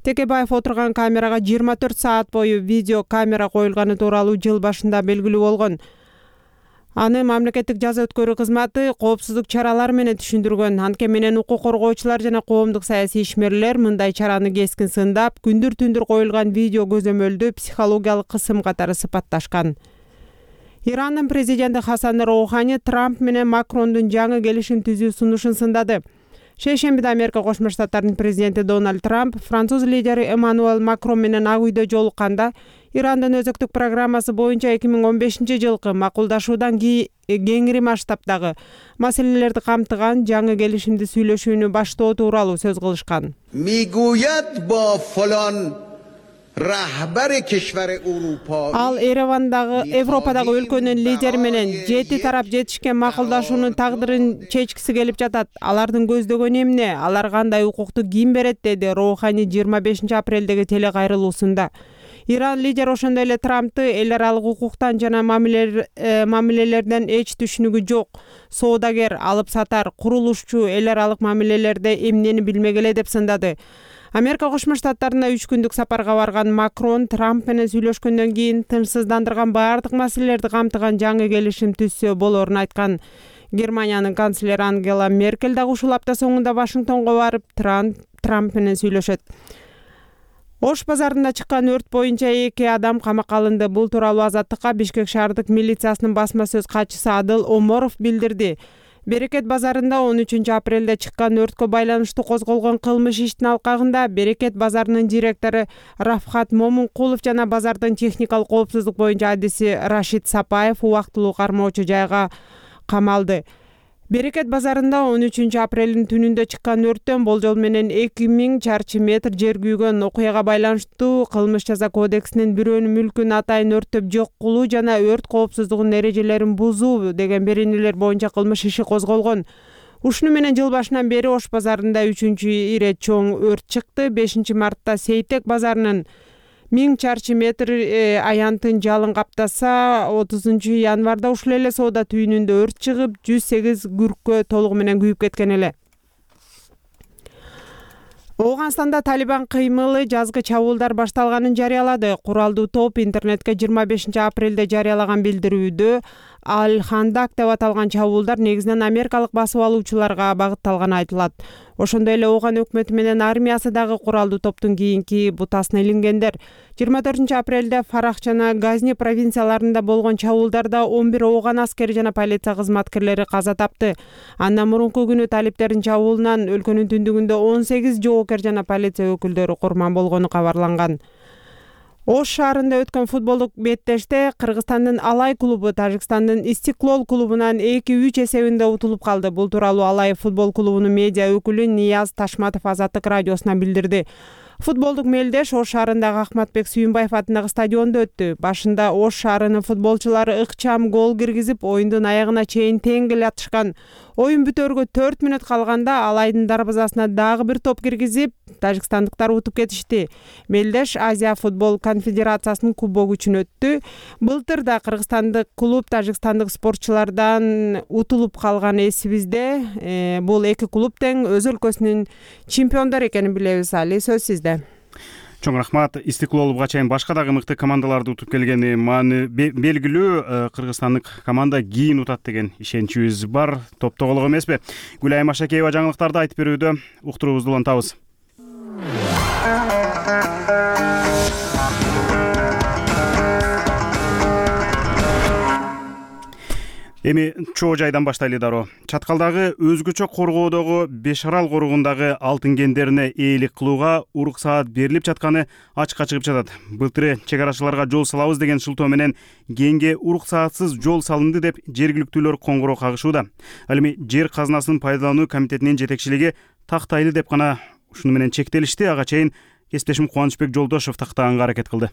Текебаев отурган камерага 24 саат бою видео камера коюлганы тууралуу жыл башында белгилүү болгон. Аны мамлекеттик жаза өткөрүү кызматы коопсуздук чаралары менен түшүндүргөн. Анткени менен укук коргоочулар жана коомдук саясий ишмерлер мындай чараны кескин сындап, күндүр-түндүр коюлган видео көзөмөлдү психологиялык кысым катары сыпатташкан. Ирандын президенти Хасан Роухани Трамп менен Макрондун жаңы келишим түзүү сунушун сындады. Шейшембиде Америка Кошмо Штаттарынын президенти Дональд Трамп француз лидери Эммануэль Макрон менен ак үйдө жолукканда Ирандын өзөктүк программасы боюнча 2015 жылкы макулдашуудан кеңири масштабдагы маселелерди камтыган жаңы келишимди сүйлөшүүнү баштоо тууралуу сөз кылышкан. Ал Европадагы өлкөнүн лидери менен 7 тарап жетишкен макулдашуунун тагдырын чечкиси келип жатат. Алардын көздөгөнү эмне? Алар кандай укукту ким берет, деди Роухани 25 апрелдеги телекайрылуусунда. Иран лидери ошондой эле Трампты эл аралык укуктан жана мамилелерден эч түшүнүгү жок, соодагер, алып сатар, курулушчу эл аралык мамилелерде эмнени билмек эле деп сындады. Америка Кошмо Штаттарына 3 күндүк сапарга барган Макрон Трамп менен сүйлөшкөндөн кийин тынчсыздандырган баардык маселелерди камтыган жаңы келишим түзсө болоорун айткан. Германиянын канцлери Ангела Меркель дагы ушул апта соңунда Вашингтонго барып Трамп менен сүйлөшөт. Ош базарында чыккан өрт боюнча 2 адам камакка алынды. Бул тууралуу Азаттыкка Бишкек шаардык милициясынын басма сөз катчысы Адыл Оморов билдирди. Берекет базарында 13 апрелде чыккан өрткө байланыштуу козголгон кылмыш иштин алкагында Берекет базарынын директору Рафхат Момункулов жана базардын техникалык коопсуздук боюнча адиси Рашид Сапаев убактылуу кармоочу жайга камалды. Берекет базарында 13 апрелдин түнүндө чыккан өрттөн болжол менен 2000 чарчы метр жер күйгөн. Окуяга байланыштуу кылмыш жаза кодексинин бирөөнүн мүлкүн атайын өрттөп жок кылуу жана өрт коопсуздугунун эрежелерин бузуу деген беренелер боюнча кылмыш иши козголгон. Ушуну менен жыл башынан бери Ош базарында 3-чү ире чоң өрт чыкты. 5 мартта Сейтек базарынын 1000 чарчы метр аянтын жалын каптаса, 30 январда ушул эле соода түйүнүндө өрт чыгып, 108 күрккө толугу менен күйүп кеткен эле. Ооганстанда Талибан кыймылы жазгы чабуулдар башталганын жарыялады. Куралдуу топ интернетке 25 апрелде жарыялаган билдирүүдө Аль-Хандак деп аталган чабуулдар негизинен америкалык басып алуучуларга багытталганы айтылат. Ошондой эле Ооган өкмөтү менен армиясы дагы куралдуу топтун кийинки бутасына илингендер. 24 апрелде Фарах жана Газни провинцияларында болгон чабуулдарда 11 Ооган аскери жана полиция кызматкерлери каза тапты. Андан мурунку күнү талиптердин чабуулунан өлкөнүн түндүгүндө 18 жоокер жана полиция өкүлдөрү курман болгону кабарланган. Ош шаарында өткөн футболдук беттеште Кыргызстандын Алай клубу Тажикстандын Истиклол клубунан 2-3 эсебинде утулуп калды. Бул тууралуу Алай футбол клубунун медиа өкүлү Нияз Ташматов Азаттык радиосуна билдирди. Футболдук мелдеш Ош шаарындагы Ахматбек Сүйүнбаев атындагы стадиондо өттү. Башында Ош шаарынын футболчулары ыкчам гол киргизип, оюндун аягына чейин тең келатышкан. Оюн бүтөргө 4 мүнөт калганда Алайдын дарбазасына дагы бир топ киргизип, тажикстандыктар утуп кетишти. Мелдеш Азия футбол конфедерациясынын кубогу үчүн өттү. Былтыр да кыргызстандык клуб тажикстандык спортчулардан утулуп калган эсибизде. Бул эки клуб тең өз өлкөсүнүн чемпиондору экенин билебиз. Али, сөз сизде. Чоң рахмат. Истиклол буга чейин башка дагы мыкты командаларды утуп келгени белгилүү. Кыргызстандык команда кийин утат деген ишеничибиз бар. Топтогулук эмеспи? Гүлайым Ашакеева жаңылыктарды айтып берүүдө. Уктуруубузду улантабыз. Эми чоо жайдан баштайлы дароо. Чаткалдагы өзгөчө коргоодогу Бешарал коругундагы алтын кендерине ээлик кылууга уруксаат берилип жатканы ачыкка чыгып жатат. Былтыры чек арачыларга жол салабыз деген шылтоо менен кенге уруксаатсыз жол салынды деп жергиликтүүлөр коңгуроо кагышууда. Ал эми жер казынасын пайдалануу комитетинин жетекчилиги тактайлы деп гана ушуну менен чектелишти. Ага чейин кесиптешим Кубанычбек Жолдошов тактаганга аракет кылды.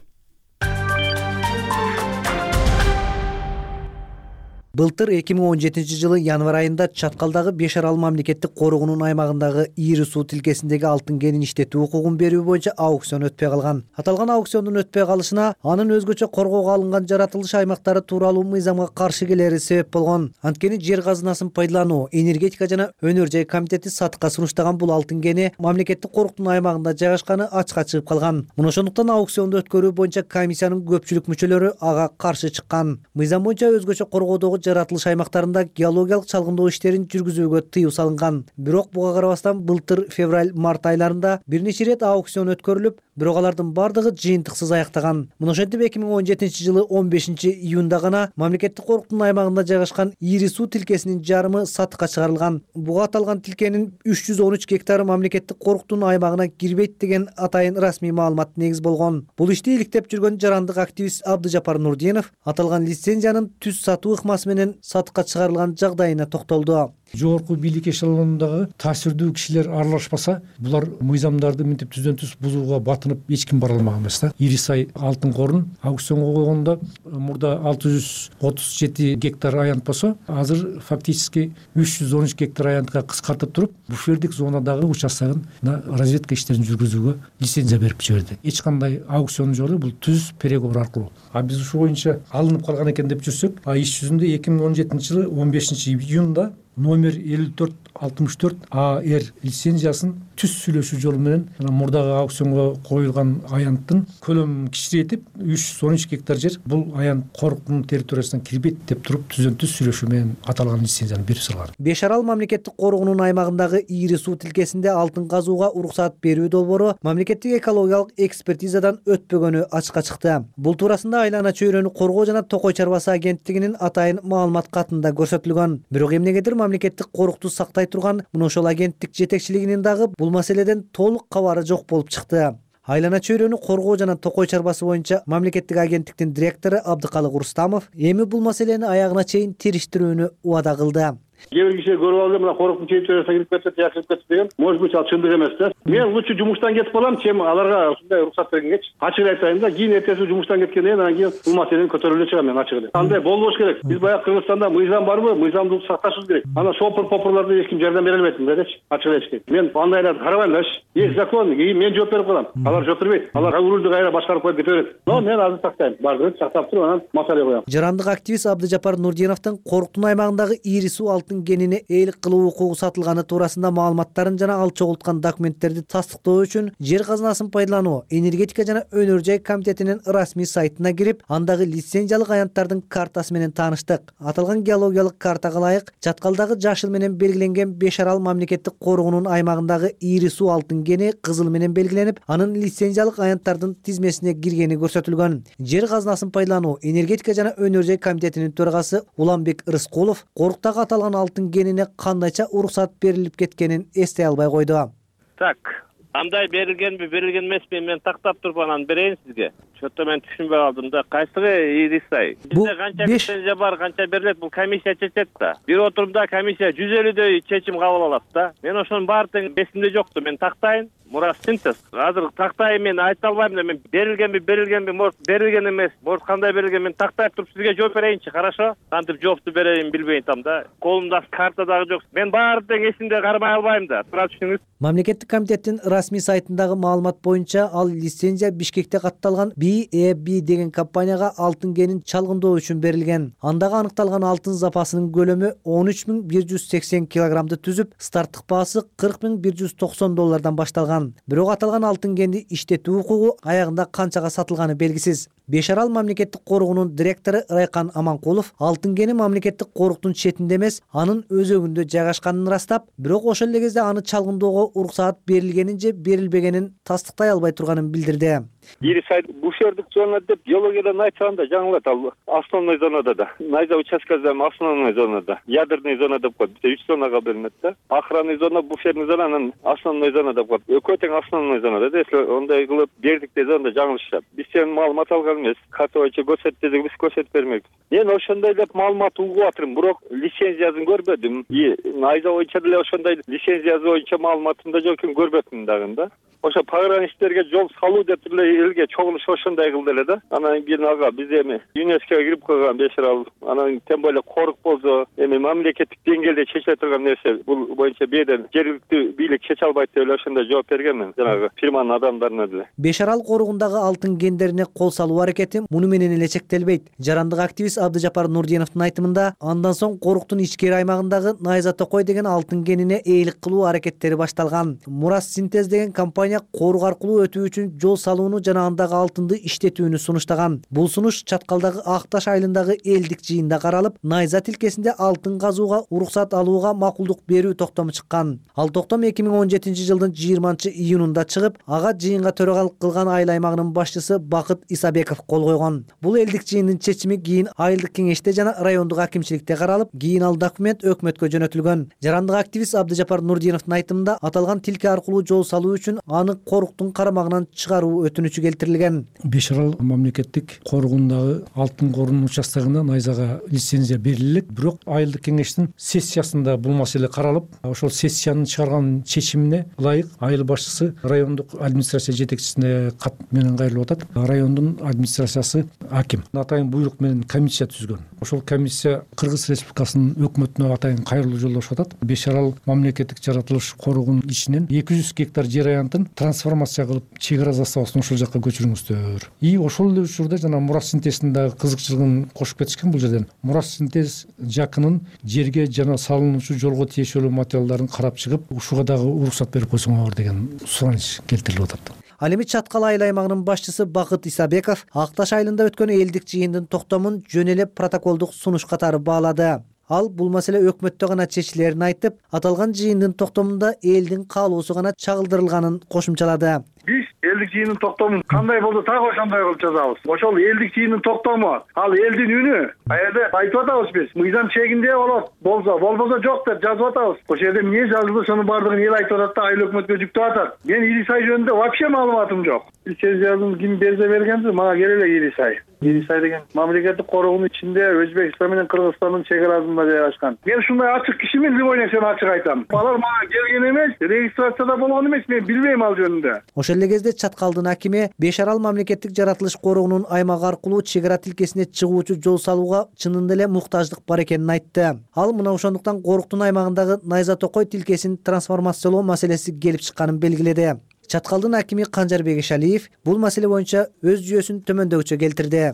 Былтыр 2017 жылы январь айында Чаткалдагы Бешарал мамлекеттик коругунун аймагындагы Ири суу тилкесиндеги алтын кенин иштетүү укугун берүү боюнча аукцион өтпөй калган. Аталган аукциондун өтпөй калышына анын өзгөчө коргоого алынган жаратылыш аймактары тууралуу мыйзамга каршы келери себеп болгон. Анткени жер казынасын пайдалануу, энергетика жана өнөр жай комитети сатыкка сунуштаган бул алтын кени мамлекеттик коруктун аймагында жайгашканы ачыкка чыгып калган. Мына ошондуктан аукционду өткөрүү боюнча комиссиянын көпчүлүк мүчөлөрү ага каршы чыккан. Мыйзам боюнча өзгөчө коргоодогу жаратылыш аймактарында геологиялык чалгындоо иштерин жүргүзүүгө тыюу салынган. Бирок буга карабастан былтыр февраль-март айларында бир нече ирет аукцион өткөрүлүп, бирок алардын бардыгы жыйынтыксыз аяктаган. Мына ошентип 2017 жылы 15 июнда гана мамлекеттик коруктун аймагында жайгашкан Ири суу тилкесинин жарымы сатыкка чыгарылган. Буга аталган тилкенин 313 гектары мамлекеттик коруктун аймагына кирбейт деген атайын расмий маалымат негиз болгон. Бул ишти иликтеп жүргөн жарандык активист Абдыжапар Нурдинов аталган лицензиянын түз сатуу ыкмасы менен сатыкка чыгарылган жагдайына токтолду. Жогорку бийлик эшелонундагы таасирдүү кишилер аралашпаса, булар мыйзамдарды мынтип түздөн түз бузууга батынып эч ким бара алмаган эмес да. Ирисай алтын корун аукционго койгондо мурда 637 гектар аянт болсо, азыр фактически 313 гектар аянтка кыскартып туруп, буфердик зонадагы участкын разведка иштерин жүргүзүүгө лицензия берип жиберди. Эч кандай аукцион жок, бул түз переговор аркылуу. Биз ушу боюнча алынып калган экен деп жүрсөк, иш жүзүндө 2017 жылы 15 июнда номер 54 64 АР лицензиясын түз сүйлөшүү жолу менен мурдагы аукционго коюлган аянттын көлөмүн кичирейтип 313 гектар жер бул аянт коруктун территориясына кирбейт деп туруп түздөн түз сүйлөшүү менен аталган лицензияны берип салган. Беш Арал мамлекеттик коргоонун аймагындагы ийри суу тилкесинде алтын казууга уруксаат берүү долбоору мамлекеттик экологиялык экспертизадан өтпөгөнү ачыкка чыкты. Бул туурасында Айлана чөйрөнү коргоо жана токой чарбасы агенттигинин атайын маалымат катында көрсөтүлгөн. Бирок эмнегедир мамлекеттик корукту сактай турган мына ошол агенттик жетекчилигинин дагы бул маселеден толук кабары жок болуп чыкты. Айлана чөйрөнү коргоо жана токой чарбасы боюнча мамлекеттик агенттиктин директору Абдыкалык Рустамов эми бул маселени аягына чейин териштирүүнү убада кылды. Кээ бир киши көрүп алды, мына коруктун территориясына кирип кетет, жакшырып кетти деген. Может быть, ал чындык эмес да. Мен лучше жумуштан кетип калам, чем аларга ушундай уруксат бергенгечи. Ачык айтканда да, кийин эртеси жумуштан кеткенден анан кийин бул маселени көтөрүп эле чыгам мен ачык эле. Андай болбош керек. Биз баягы Кыргызстанда мыйзам барбы? Мыйзамды сакташыбыз керек. Анан попурларда эч ким жардам бере албайт мындайдачы. Ачык эле айтышкерек. Мен андайларды карабайм дачы. Есть закон, кийин мен жооп берип калам. Алар жооп бербейт. Алар рулду кайра башкарып коюп кете берет. Но мен азыр сактайм. Бардыгын сактап туруп анан маселе коям. Жарандык активист Абдыжапар Нурдиновдун коруктун аймагындагы ийри суу алтын кенине ээлик кылуу укугу сатылганы туурасында маалыматтарын жана ал чогулткан документтерди тастыктоо үчүн жер казынасын пайдалануу энергетика жана өнөр жай комитетинин расмий сайтына кирип, андагы лицензиялык аянттардын картасы менен тааныштык. Аталган геологиялык картага ылайык Чаткалдагы жашыл менен белгиленген Беш Арал мамлекеттик коргоонун аймагындагы ийри суу алтын кени кызыл менен белгиленип, анын лицензиялык аянттардын тизмесине киргени көрсөтүлгөн. Жер казынасын пайдалануу энергетика жана өнөр жай комитетинин төрагасы Уланбек Рыскулов коруктагы аталган алтын кенине кандайча уруксат берилип кеткенин эстей албай койду. Так, андай берилгенби, берилген эмеспи, мен тактап туруп анан берейин сизге. Чөтө мен түшүнбөй калдым да. Кайсыгы Ирисай? Бизде канча лицензия бар, канча берилет, бул комиссия чечет да. Бир отурумда комиссия 150дөй чечим кабыл алат да. Мен ошонун баары эсимде жокту. Мен тактайын. Мурас синтез. Азыр тактайын, мен айта албайм да. Мен берилгенби, может берилген эмес, может кандай берилген, мен тактай туруп сизге жооп берейинчи, хорошо? Кантип жоопту берейин билбейм там да. Колумда карта дагы жок. Мен баары эсимде кармай албайм да. Тура түшүнүңүз. Мамлекеттик комитеттин расмий сайтындагы маалымат боюнча ал лицензия Бишкекте катталган BEB деген компанияга алтын кенин чалгындоо үчүн берилген. Андагы аныкталган алтын запасынын көлөмү 13180 килограммды түзүп, старттык баасы $40,190 башталган. Бирок аталган алтын кенди иштетүү укугу аягында канчага сатылганы белгисиз. Беш Арал мамлекеттик коргоонун директору Райкан Аманкулов алтын кени мамлекеттик коруктун четинде эмес, анын өзөгүндө жайгашканын ырастап, бирок ошол эле кезде аны чалгындоого уруксаат берилгенин же берилбегенин тастыктай албай турганын билдирди. Ирисай буфердик зона деп геологиядан айтсаңда жаңылат ал основной зонада да. Найза участкасында основной зонада, ядерный зона деп коет. 3 зонага бөлүнөт да. Охранный зона, буферный зона, анан основной зона деп коет. Экөө тең основной зонада да. Если ондай кылып бердик десеңде жаңылышат. Биз сен маалымат алган эмес. Катыбайча көрсөт десек биз көрсөтүп бермекпиз. Мен ошондой деп маалымат угуп атырмын, бирок лицензиясын көрбөдүм. Найза боюнча деле ошондой лицензиясы боюнча маалыматым да жок экен, көрбөдүм дагы да. Ошо пограничтерге жол салуу деп эле элге чогулуш ошондой кылды эле да. Анан кийин ага биз эми ЮНЕСКОго кирип койгон Беш Арал, анан тем более корук болсо эми мамлекеттик деңгээлде чечиле турган нерсе, бул боюнча беден жергиликтүү бийлик чече албайт деп эле ошондой жооп бергенмин жанагы фирманын адамдарына деле. Беш Арал коругундагы алтын кендерине кол салуу аракети муну менен эле чектелбейт. Жарандык активист Абдыжапар Нурдиновдун айтымында, андан соң коруктун ичкери аймагындагы Найза Токой деген алтын кенине ээлик кылуу аракеттери башталган. Мурас Синтез деген компания корук аркылуу өтүү үчүн жол салууну жана андагы алтынды иштетүүнү сунуштаган. Бул сунуш Чаткалдагы Акташ айылындагы элдик жыйында каралып, Найза тилкесинде алтын казууга уруксат алууга макулдук берүү токтому чыккан. Ал токтом 2017 жылдын 20-июнунда чыгып, ага жыйынга төрагалык кылган айыл аймагынын башчысы Бакыт Исабеков кол койгон. Бул элдик жыйындын чечими кийин айылдык кеңеште жана райондук акимчиликте каралып, кийин ал документ өкмөткө жөнөтүлгөн. Жарандык активист Абдыжапар Нурдиновдун айтымында, аталган тилке аркылуу жол салуу үчүн аны коруктун карамагынан чыгаруу өтүнүчү келтирилген. Беш Арал мамлекеттик коргоонундагы алтын корунун участогуна Найзага лицензия берилет, бирок айылдык кеңештин сессиясында бул маселе каралып, ошол сессиянын чыгарган чечимине ылайык айыл башчысы райондук администрация жетекчисине кат менен кайрылып атат. Райондун администрациясы аким атайын буйрук менен комиссия түзгөн. Ошол комиссия Кыргыз Республикасынын өкмөтүнө атайын кайрылуу жолдошуп атат. Беш Арал мамлекеттик жаратылыш коргоонун ичинен 200 гектар жер аянтын трансформация кылып чек ара заставасын ошол жака көчүрүңүздөр. И ошол эле учурда жана мурас синтезинин дагы кызыкчылыгын кошуп кетишкен бул жерден. Мурас синтез жакынын жерге жана салынуучу жолго тиешелүү материалдарын карап чыгып, ушуга дагы уруксат берип койсоңор деген сураныч келтирилип атат. Ал эми Чаткал айыл аймагынын башчысы Бакыт Исабеков Ак Таш айылында өткөн элдик жыйындын токтомун жөн эле протоколдук сунуш катары баалады. Ал бул маселе өкмөттө гана чечилерин айтып, аталган жыйындын токтомунда элдин каалоосу гана чагылдырылганын кошумчалады. Биз элдик жыйындын токтомун кандай болду так ошондой кылып жазабыз. Ошол элдик жыйындын токтому, ал элдин үнү. Аерде айтып атабыз биз. Мыйзам чегинде болот, болбосо жок деп жазып атабыз. Ошол жерде эмне жазылды, сонун баардыгын эл айтып атат да, айыл өкмөткө жүктөп атат. Мен Ирисай жөнүндө вообще маалыматым жок. Лицензиясын ким берсе бергенди, мага келе эле Ирисай. Ирисай деген мамлекеттик корогунун ичинде Өзбекстан менен Кыргызстандын чек арасында жайгашкан. Мен ушундай ачык кишимин, любой нерсени ачык айтам. Алар мага келген эмес, регистрацияда болгон эмес, мен билбейм ал жөнүндө. Ошол эле кезде Чаткалдын акими Беш Арал мамлекеттик жаратылыш корогунун аймак аркылуу чек ара тилкесине чыгуучу жол салууга чынында эле муктаждык бар экенин айтты. Ал мына ошондуктан Коруктун аймагындагы Найза Токой тилкесин трансформациялоо маселеси келип чыкканын белгиледи. Чаткалдын акими Канжарбек Ишалиев бул маселе боюнча өз жүйөсүн төмөндөгүчө келтирди.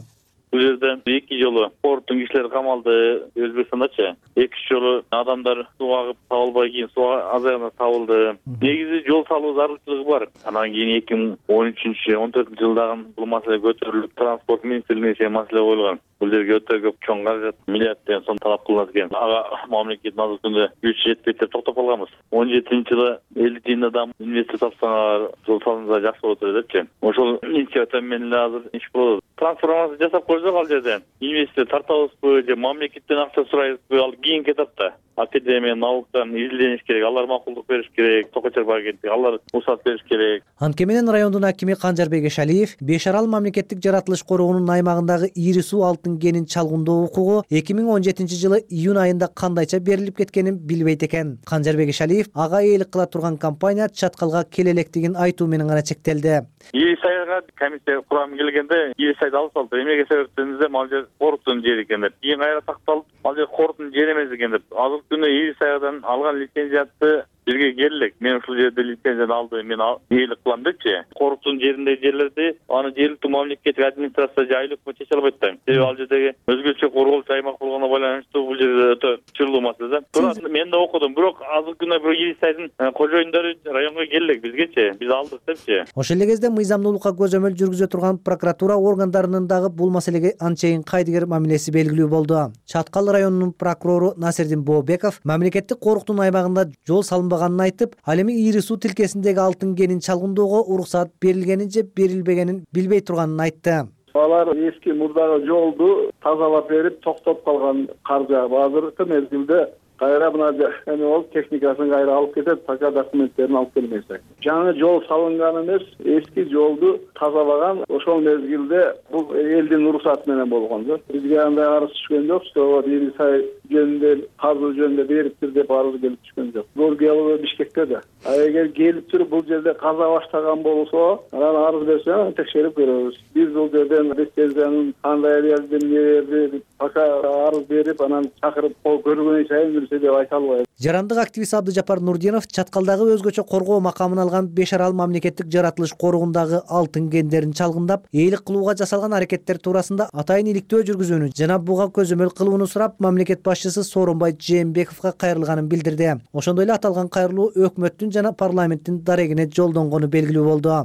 Бул жерде 2 жолу порттун кишилери камалды Өзбекстандачы. 2 жолу адамдар сууга агып табылбай кийин сууга азайганда табылды. Негизи жол салуу зарылчылыгы бар. Анан кийин 2013-14 жылдагы бул маселе көтөрүлүп, транспорт министрлигине чейин маселе коюлган. Бул жерге өтө көп чоң каражат, миллиардден сом талап кылынат экен. Ага мамлекеттин азыр күндө күч жетпейт деп токтоп калганбыз. 17-жылы элдик жыйында да инвестор тапсаңар жол салынса жакшы болот депчи. Ошол инициатива менен эле азыр иш болот. Трансформация жасап койсок ал жерде инвестор тартабызбы же мамлекеттен акча сурайбызбы, ал кийинки этапта. Академия, науктан изилдениш керек, алар макулдук бериш керек, Токой-Чарбы агенттиги, алар уруксат бериш керек. Анткени менен райондун акими Канжарбек Ишалиев Беш Арал мамлекеттик жаратылыш корогунун аймагындагы ири суу алтын кенин чалгындоо укугу 2017-жылы июнь айында кандайча берилип кеткенин билбейт экен. Канжарбек Ишалиев ага ээлик кыла турган компания Чаткалга келе электигин айтуу менен гана чектелди. Ирисайга комиссия курамы келгенде Ирисайды алып салды. Эмнеге себептен деп, ал жер Коруктун жери экен деп. Кийин кайра такталып, ал жер Коруктун жери эмес экен деп. Азыр күнү Ирисайдан алган лицензиятты бирге келдик. Мен ушул жерде лицензияны алды, мен ээлик кылам депчи. Коруктун жериндеги жерлерди аны жергиликтүү мамлекеттик администрация же айыл өкмөт чече албайт да. Себеби ал жердеги өзгөчө корголчу аймак болгону байланыштуу бул жерде өтө чырлуу маселе да. Туурат мен да окудум, бирок азыр күнү бир Ирисайдын кожоюндары районго келдик бизгечи, биз алдык депчи. Ошол эле кезде мыйзамдуулукка көзөмөл жүргүзө турган прокуратура органдарынын дагы бул маселеге анчейин кайдыгер мамилеси белгилүү болду. Чаткал районунун прокурору Насирдин Бообеков мамлекеттик коруктун аймагында жол салынбаганын айтып, ал эми ири суу тилкесиндеги алтын кенин чалгындоого уруксат берилгенин же берилбегенин билбей турганын айтты. Алар эски мурдагы жолду тазалап берип токтоп калган каржы азыркы мезгилде кайра мына эме болуп техникасын кайра алып кетет, пока документтерин алып келмесе. Жаңы жол салынган эмес, эски жолду тазалаган ошол мезгилде бул элдин уруксаты менен болгон. Бизге андай арыз түшкөн жок, что Ирисай жөнүндө казуу жөнүндө бериптир деп арыз келип түшкөн жок. Бул келип Бишкекте да. Эгер келип туруп бул жерде каза баштаган болсо, анан арыз берсе текшерип көрөбүз. Биз бул жерден лицензиянын кандай элдин берди, пока арыз берип анан чакырып көргөнү чейин деп айта албайм. Жарандык активист Абдыжапар Нурдинов Чаткалдагы өзгөчө коргоо макамын алган Беш Арал мамлекеттик жаратылыш корогундагы алтын кендерин чалгындап, ээлик кылууга жасалган аракеттер туурасында атайын иликтөө жүргүзүүнү жана буга көзөмөл кылууну сурап, мамлекет башчысы Сооронбай Жээнбековго кайрылганын билдирди. Ошондой эле аталган кайрылуу өкмөттүн жана парламенттин дарегине жолдонгону белгилүү болду.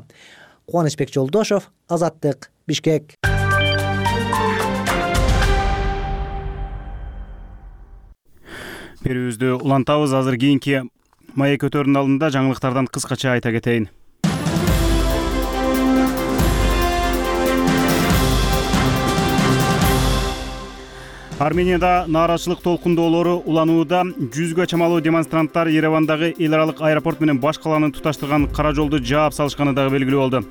Кубанычбек Жолдошов, Азаттык, Бишкек. Берүүбүздү улантабыз. Азыр кийинки маек өтөрүнүн алдында жаңылыктардан кыскача айта кетейин. Арменияда нааразычылык толкундоолору уланууда. 100гө чамалуу демонстранттар Еревандагы эл аралык аэропорт менен баш калааны туташтырган кара жолду жаап салышканы дагы белгилүү болду.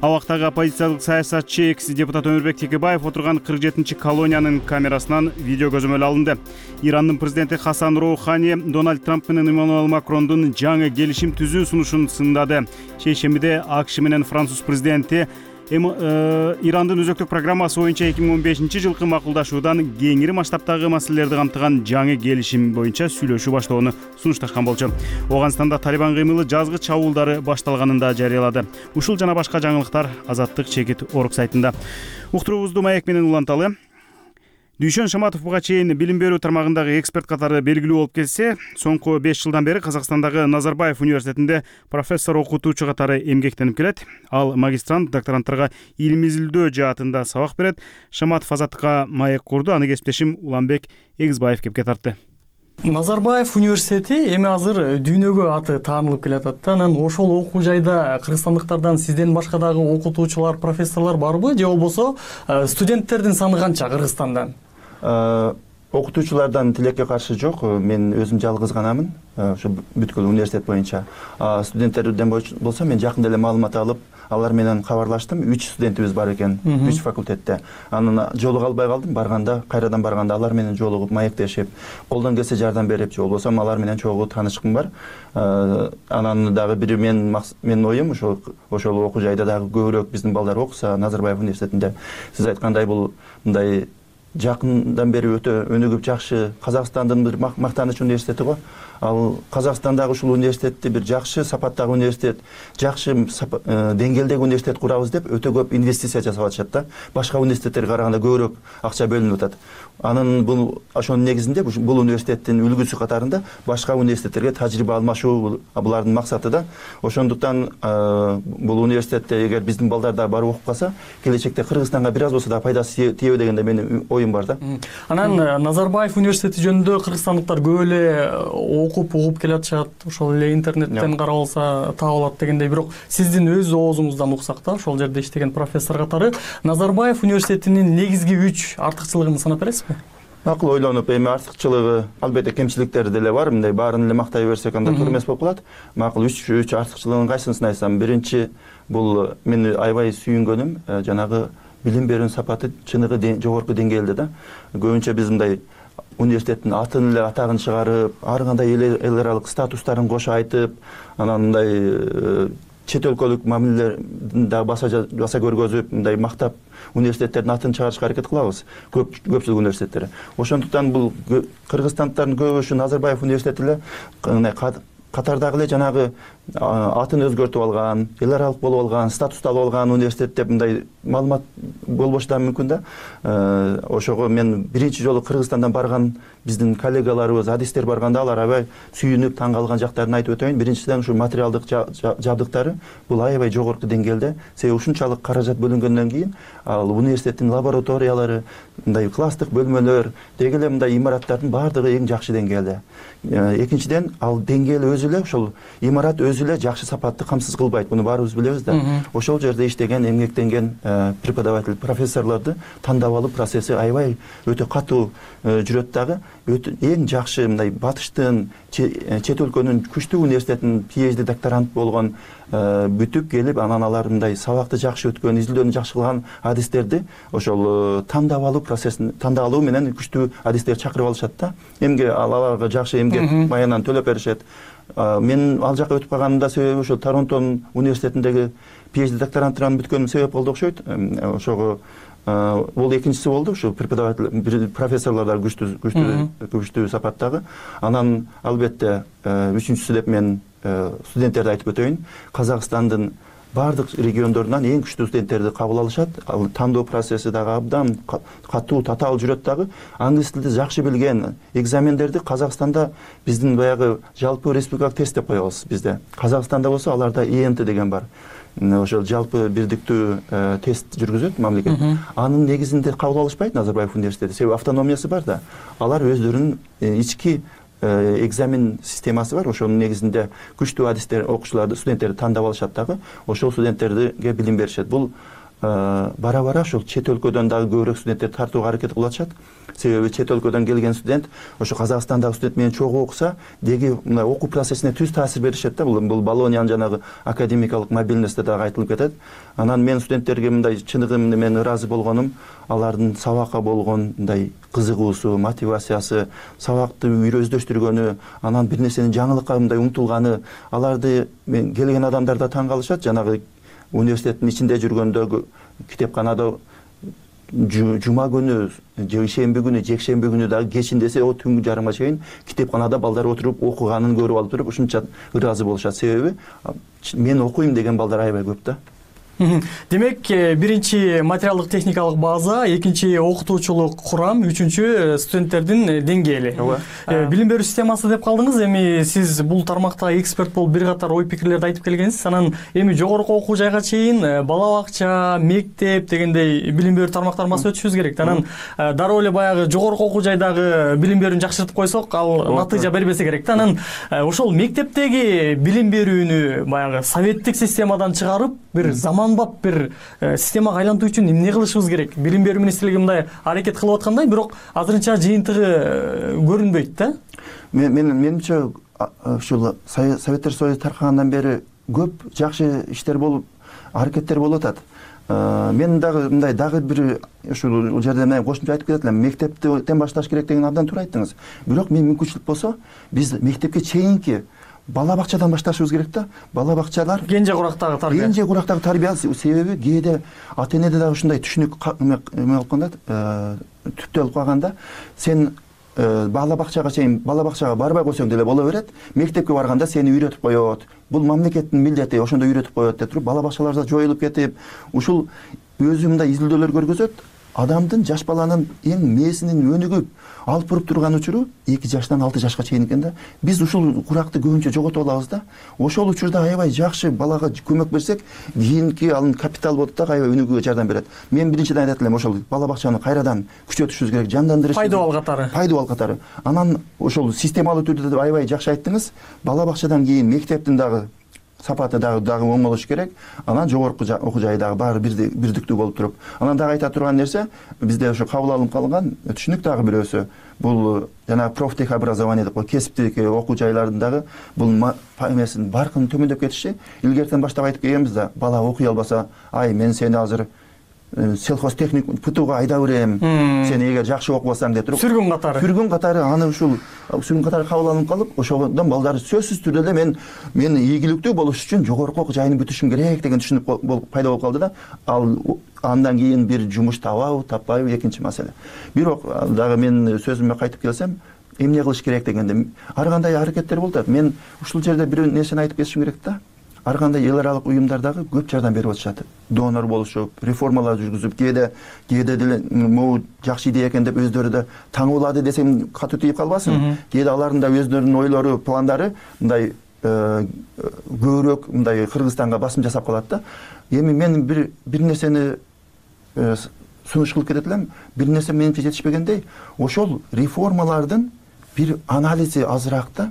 Абактагы оппозициялык саясатчы экс-депутат Өмүрбек Текебаев отурган 47-чи колониянын камерасынан видео көзөмөл алынды. Ирандын президенти Хасан Роухани Дональд Трамп менен Эммануэл Макрондун жаңы келишим түзүү сунушун сындады. Шейшембиде АКШ менен Француз президенти Ирандын өзөктүк программасы боюнча 2015-жылкы макулдашуудан кеңири масштабтагы маселелерди камтыган жаңы келишим боюнча сүйлөшүү баштоону сунушташкан болчу. Оганстанда Талибан кыймылы жазгы чабуулдары башталганын да жарыялады. Ушул жана башка жаңылыктар Азаттык чекит орг сайтында. Уктуруубузду маек менен уланталы. Дүйшөн Шаматов буга чейин билим берүү тармагындагы эксперт катары белгилүү болуп келсе, соңку 5 жылдан бери Казакстандагы Назарбаев университетинде профессор окутуучу катары эмгектенип келет. Ал магистрант, докторанттарга илим изилдөө жаатында сабак берет. Шаматов Азаттыкка маек курду, аны кесиптешим Уланбек Эгизбаев кепке тартты. Назарбаев университети эми азыр дүйнөгө аты таанылып келатат. Анан ошол окуу жайда кыргызстандыктардан сизден башка дагы окутуучулар, профессорлор барбы, же болбосо студенттердин саны канча Кыргызстандан? Окутуучулардан тилекке каршы жок. Мен өзүм жалгыз ганамын ошо бүткүл университет боюнча. Студенттерден болсо мен жакында эле маалымат алып, алар менен кабарлаштым. 3 студентибиз бар экен, 3 факультетте. Анан жолуга албай калдым. Кайрадан барганда алар менен жолугуп, маектешип, колдон келсе жардам берип, же болбосо алар менен чогуу таанышкым бар. Анан дагы бир менин оюм ошол окуу жайда дагы көбүрөөк биздин балдар окуса Назарбаев университетинде. Сиз айткандай бул мындай жакындан бери өтө өнүгүп жакшы Казакстандын бир мактаныч университети го. Ал Казакстандагы ушул университетти бир жакшы сапаттагы университет, жакшы деңгээлдеги университет курабыз деп өтө көп инвестиция жасап атышат да. Башка университеттерге караганда көбүрөөк акча бөлүнүп атат. Анын ошонун негизинде бул университеттин үлгүсү катарында башка университеттерге тажрыйба алмашуу булардын максаты да. Ошондуктан бул университетте эгер биздин балдар да барып окуп калса, келечекте Кыргызстанга бир аз болсо да пайдасы тийеби дегенде менин оюм бар да. Анан Назарбаев университети жөнүндө кыргызстандыктар көп эле окуп угуп келатышат, ошол эле интернеттен карап алса таап алат дегендей. Бирок сиздин өз оозуңуздан уксак да, ошол жерде иштеген профессор катары Назарбаев университетинин негизги 3 артыкчылыгын санап бересизби? Акыл ойлонуп, эми артыкчылыгы албетте кемчиликтери деле бар. Мындай баарын эле мактай берсек анда туура эмес болуп калат. Макул 3 артыкчылыгын кайсысын айтсам, биринчи бул мени аябай сүйүнгөнүм жанагы билим берүүнүн сапаты чыныгы жогорку деңгээлде да. Көбүнчө биз мындай университеттин атын эле атагын чыгарып, ар кандай эл аралык статустарын кошо айтып, анан мындай чет өлкөлүк мамилелерин да баса көргөзүп, мындай мактап университеттердин атын чыгарышка аракет кылабыз. Көпчүлүк университеттер. Ошондуктан бул кыргызстандыктардын көбү Назарбаев университети эле катардагы эле жанагы атын өзгөртүп алган, эл аралык болуп алган, статус алып алган университет деп мындай маалымат болбошу да мүмкүн да. Ошого мен биринчи жолу Кыргызстандан барган биздин коллегаларыбыз, адистер барганда алар аябай сүйүнүп таң калган жактарын айтып өтөйүн. Биринчиден ушу материалдык жабдыктары бул аябай жогорку деңгээлде. Себеби ушунчалык каражат бөлүнгөндөн кийин ал университеттин лабораториялары, мындай класстык бөлмөлөр, деги эле мындай имараттардын баардыгы эң жакшы деңгээлде. Экинчиден ал деңгээл өзү эле ошол имарат өзү эле жакшы сапатты камсыз кылбайт. Муну баарыбыз билебиз да. Ошол жерде иштеген, эмгектенген преподаватель, профессорлорду тандап алуу процесси аябай өтө катуу жүрөт дагы. Эң жакшы мындай батыштын, чет өлкөнүн күчтүү университетинин PhD докторант болгон бүтүп келип, анан алар мындай сабакты жакшы өткөн, изилдөөнү жакшы кылган адистерди ошол тандап алуу процессин, тандап алуу менен күчтүү адистер чакырып алышат да. Аларга жакшы эмгек маянан төлөп беришет. Мен ал жака өтүп калганымда себеби ошол Торонтон университетиндеги PhD докторантыран бүткөнүм себеп болду окшойт. Ошого бул экинчиси болду, ушу преподаватель, профессорлордор күчтүү сапаттагы. Анан албетте үчүнчүсү деп мен студенттерди айтып өтөйүн. Казакстандын бардык региондорунан эң күчтүү студенттерди кабыл алышат. Ал тандоо процесси дагы абдан катуу, татаал жүрөт дагы. Англис тилди жакшы билген, экзамендерди Казакстанда биздин баягы жалпы республикалык тест деп коебуз бизде. Казакстанда болсо аларда ENT деген бар. Ошол жалпы бирдиктүү тест жүргүзөт мамлекет. Анын негизинде кабыл алышпайт Назарбаев университети. Себеби автономиясы бар да. Алар өздөрүнүн ички экзамен системасы бар. Ошонун негизинде күчтүү адистер, окуучуларды, студенттерди тандап алышат дагы. Ошол студенттерге билим беришет. Бул бара-бара ошол чет өлкөдөн дагы көбүрөөк студенттер тартууга аракет кылып атышат. Себеби чет өлкөдөн келген студент ошо Казакстандагы студент менен чогуу окуса, деги мына окуу процессине түз таасир беришет да. Бул Болониянын жанагы академикалык мобильности дагы айтылып кетет. Анан мен студенттерге мындай чыныгы мен ыраазы болгонум, алардын сабакка болгон мындай кызыгуусу, мотивациясы, сабакты өздөштүргөнү, анан бир нерсенин жаңылыкка мындай умтулганы, аларды мен келген адамдар да таң калышат. Жанагы университеттин ичинде жүргөндө китепканада жума күнү же ишемби күнү жекшемби күнү дагы кечинде десе түнгү жарымга чейин китепканада балдар отуруп окуганын көрүп алып туруп ушунча ыраазы болушат. Себеби мен окуйм деген балдар аябай көп да. Демек, биринчи материалдык техникалык база, экинчи окутуучулук курам, үчүнчү студенттердин деңгээли. Билим берүү системасы деп калдыңыз. Эми сиз бул тармакта эксперт болуп бир катар ой пикирлерди айтып келгенсиз. Анан эми жогорку окуу жайга чейин бала бакча, мектеп дегендей билим берүү тармактармасы өтүшүбүз керек. Анан дароо эле баягы жогорку окуу жайдагы билим берүүнү жакшыртып койсок, ал натыйжа бербесе керек да. Анан ошол мектептеги билим берүүнү баягы советтик системадан чыгарып, бир заманбап бир системага айлантуу үчүн эмне кылышыбыз керек? Билим берүү министрлиги мындай аракет кылып аткандай, бирок азырынча жыйынтыгы көрүнбөйт да. Менимче ушул Советтер Союзу таркагандан бери көп жакшы иштер болуп, аракеттер болуп атат. Мен дагы мындай дагы бир ушул жерде мен кошумча айтып кетет элем. Мектептен башташ керек деген абдан туура айттыңыз. Бирок мен мүмкүнчүлүк болсо, биз мектепке чейинки бала бакчадан башташыбыз керек да. Бала бакчалар кенже курактагы тарбия. Кенже курактагы тарбия. Себеби кээде ата энеде дагы ушундай түшүнүк алып калганда, түптөлүп калганда, сен бала бакчага барбай койсоң деле боло берет. Мектепке барганда сени үйрөтүп коет. Бул мамлекеттин милдети, ошондо үйрөтүп коет деп туруп, бала бакчаларда жоюлуп кетип, ушул өзү мындай изилдөөлөр көргөзөт. Адамдын жаш баланын эң мээсинин өнүгүп алып буруп турган учуру 2 жаштан 6 жашка чейин экен да. Биз ушул куракты көбүнчө жоготуп алабыз да. Ошол учурда аябай жакшы балага көмөк берсек, кийинки анын капитал болот да, аябай өнүгүүгө жардам берет. Мен биринчиден айтат элем, ошол бала бакчаны кайрадан күчөтүшүбүз керек, жандандырыш. Пайдабал катары. Анан ошол системалуу түрдө аябай жакшы айттыңыз. Бала бакчадан кийин мектептин дагы сапаты дагы оң болуш керек. Анан жогорку окуу жай дагы баары бирдиктүү болуп туруп. Анан дагы айта турган нерсе, бизде ошо кабыл алынып калган түшүнүк дагы бирөөсү. Бул жана профтехобразование деп кесиптик окуу жайлардын дагы бул эмесин баркын төмөндөп кетиши. Илгертен баштап айтып келгенбиз да, бала окуй албаса, ай мен сени азыр сельхозтехник ПТУга айдап берем. Сен эгер жакшы окубасаң деп туруп. Сүргүн катары аны ушул сүргүн катары кабыл алынып калып, ошондон балдар сөзсүз түрдө эле мен ийгиликтүү болуш үчүн жогорку окуу жайын бүтүшүм керек деген түшүнүк пайда болуп калды да. Ал андан кийин бир жумуш табабы, таппайбы экинчи маселе. Бирок дагы мен сөзүмө кайтып келсем, эмне кылыш керек дегенде ар кандай аракеттер болуп атат. Мен ушул жерде бир нерсени айтып кетишим керек да. Ар кандай эл аралык уюмдар дагы көп жардам берип атышат. Донор болушуп, реформалар жүргүзүп, кээде деле могу жакшы идея экен деп өздөрү да таңуулады десем катуу тийип калбасын. Кээде алардын да өздөрүнүн ойлору, пландары мындай көбүрөөк мындай Кыргызстанга басым жасап калат да. Эми мен бир нерсени сунуш кылып кетет элем. Бир нерсе менимче жетишпегендей, ошол реформалардын бир анализи азыраак да.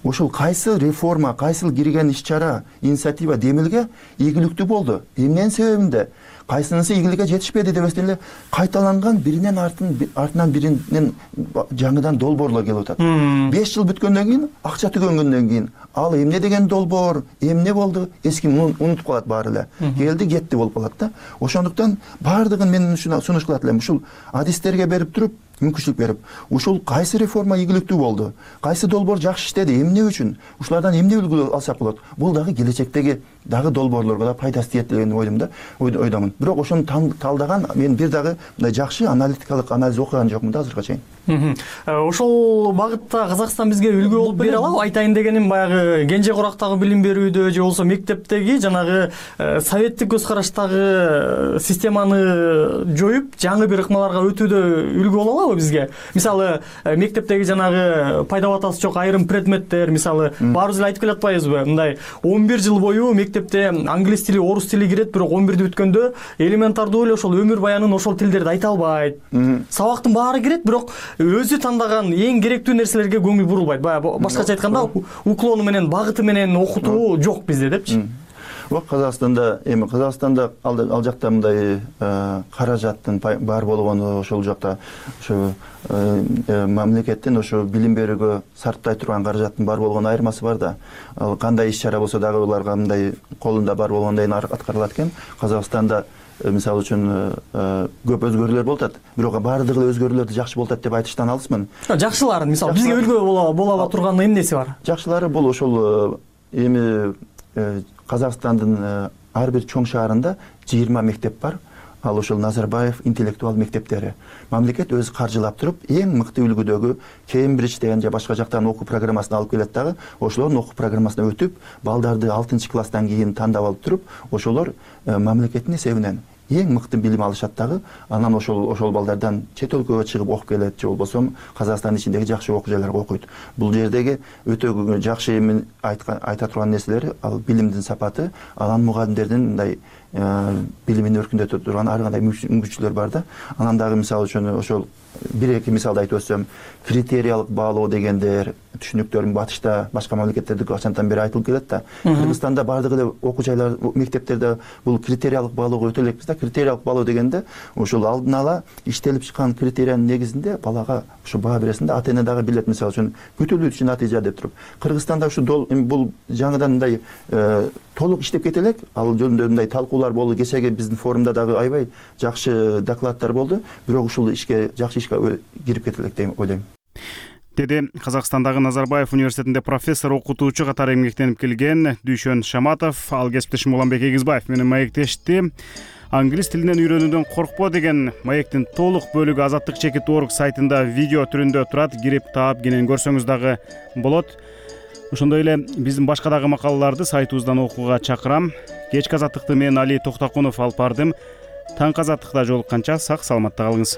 Ошол кайсы реформа, кайсыл кирген иш-чара, инициатива демилге ийгиликтүү болду. Эмненин себебинде кайсынысы ийгиликке жетишпеди деп эле кайталанган биринен артынан биринен жаңыдан долбоорлор келип атат. 5 жыл бүткөндөн кийин, акча түгөнгөндөн кийин ал эмне деген долбоор, эмне болду, эч ким унутуп калат баары эле. Келди, кетти болуп калат да. Ошондуктан баардыгын мен ушуна сунуш кылат элем. Ушул адистерге берип туруп, мүмкүнчүлүк берип, ушул кайсы реформа ийгиликтүү болду, кайсы долбоор жакшы иштеди, эмне үчүн, ушулардан эмне үлгү алсак болот. Бул дагы келечектеги дагы долбоорлорго да пайдасы тиет деген ойдомун. Бирок ошону талдаган мен бир дагы мындай жакшы аналитикалык анализ окуган жокмун да азыркыга чейин. Ошол багытта Казакстан бизге үлгү болуп бере алабы? Айтайын дегеним баягы кенже курактагы билим берүүдө же болбосо мектептеги жанагы советтик көз караштагы системаны жоюп, жаңы бир ыкмаларга өтүүдө үлгү боло алабы бизге? Мисалы, мектептеги жанагы пайда батасы жок айрым предметтер, мисалы, баарыбыз эле айтып келе атпайбызбы? Мындай 11 жыл бою мектепте англис тили, орус тили кирет, бирок 11-ди бүткөндө элементардуу эле ошол өмүр баянын ошол тилдерди айта албайт. Сабактын баары кирет, бирок өзү тандаган эң керектүү нерселерге көңүл бурулбайт. Баягы башкача айтканда, уклону менен, багыты менен окутуу жок бизде депчи. Казакстанда ал жакта мындай каражаттын бар болгону, ошол жакта ошо мамлекеттин ошо билим берүүгө сарптай турган каражаттын бар болгону айырмасы бар да. Ал кандай иш-чара болсо дагы уларга мындай колунда бар болгондой аткарылат экен. Казакстанда мисалы үчүн көп өзгөрүүлөр болуп атат. Бирок баардыгы өзгөрүүлөрдү жакшы болуп атат деп айтыштан алысмын. Жакшыларын, мисалы, бизге үлгү боло ала турган эмнеси бар? Жакшылары бул ошол эми Казакстандын ар бир чоң шаарында 20 мектеп бар. Ал ошол Назарбаев интеллектуал мектептери. Мамлекет өзү каржылап туруп, эң мыкты үлгүдөгү Кембридж деген же башка жактан окуу программасын алып келет дагы, ошолордун окуу программасына өтүп, балдарды 6-класстан кийин тандап алып туруп, ошолор мамлекеттин эсебинен эң мыкты билим алышат дагы. Анан ошол балдардан чет өлкөгө чыгып окуп келет же болбосо Казакстандын ичиндеги жакшы окуу жайларга окуйт. Бул жердеги өтө жакшы айта турган нерселери ал билимдин сапаты, анан мугалимдердин мындай билимин өркүндөтө турган ар кандай мүмкүнчүлүктөр бар да. Анан дагы мисалы үчүн ошол бир-эки мисалды айтып өтсөм, критериялык баалоо дегендер түшүнүктөр батышта башка мамлекеттерде качантан бери айтылып келет да. Кыргызстанда бардыгы эле окуу жайлар, мектептерде бул критериялык баалоого өтө элекпиз да. Критериялык баалоо дегенде ошол алдын ала иштелип чыккан критериянын негизинде балага ушу баа бересиң да, ата-эне дагы билет, мисалы үчүн күтүлүүчү натыйжа деп туруп. Кыргызстанда ушу бул жаңыдан мындай толук иштеп кете элек. Ал жөнүндө мындай талкуулар болду. Кечеги биздин форумда дагы аябай жакшы докладдар болду. Бирок ушул ишке жакшы ишке кирип кете элек деп ойлойм. Деди Казакстандагы Назарбаев университетинде профессор, окутуучу катары эмгектенип келген Дүйшөн Шаматов. Ал кесиптешим Уланбек Эгизбаев менен маектешти. Англис тилинен үйрөнүүдөн коркпо деген маектин толук бөлүгү Азаттык.org сайтында видео түрүндө турат. Кирип таап кенен көрсөңүз дагы болот. Ошондой эле биздин башка дагы макалаларды сайтыбыздан окууга чакырам. Кечки Азаттыкты мен Али Токтокунов алып бардым. Таңкы Азаттыкта жолукканча сак саламатта калыңыз.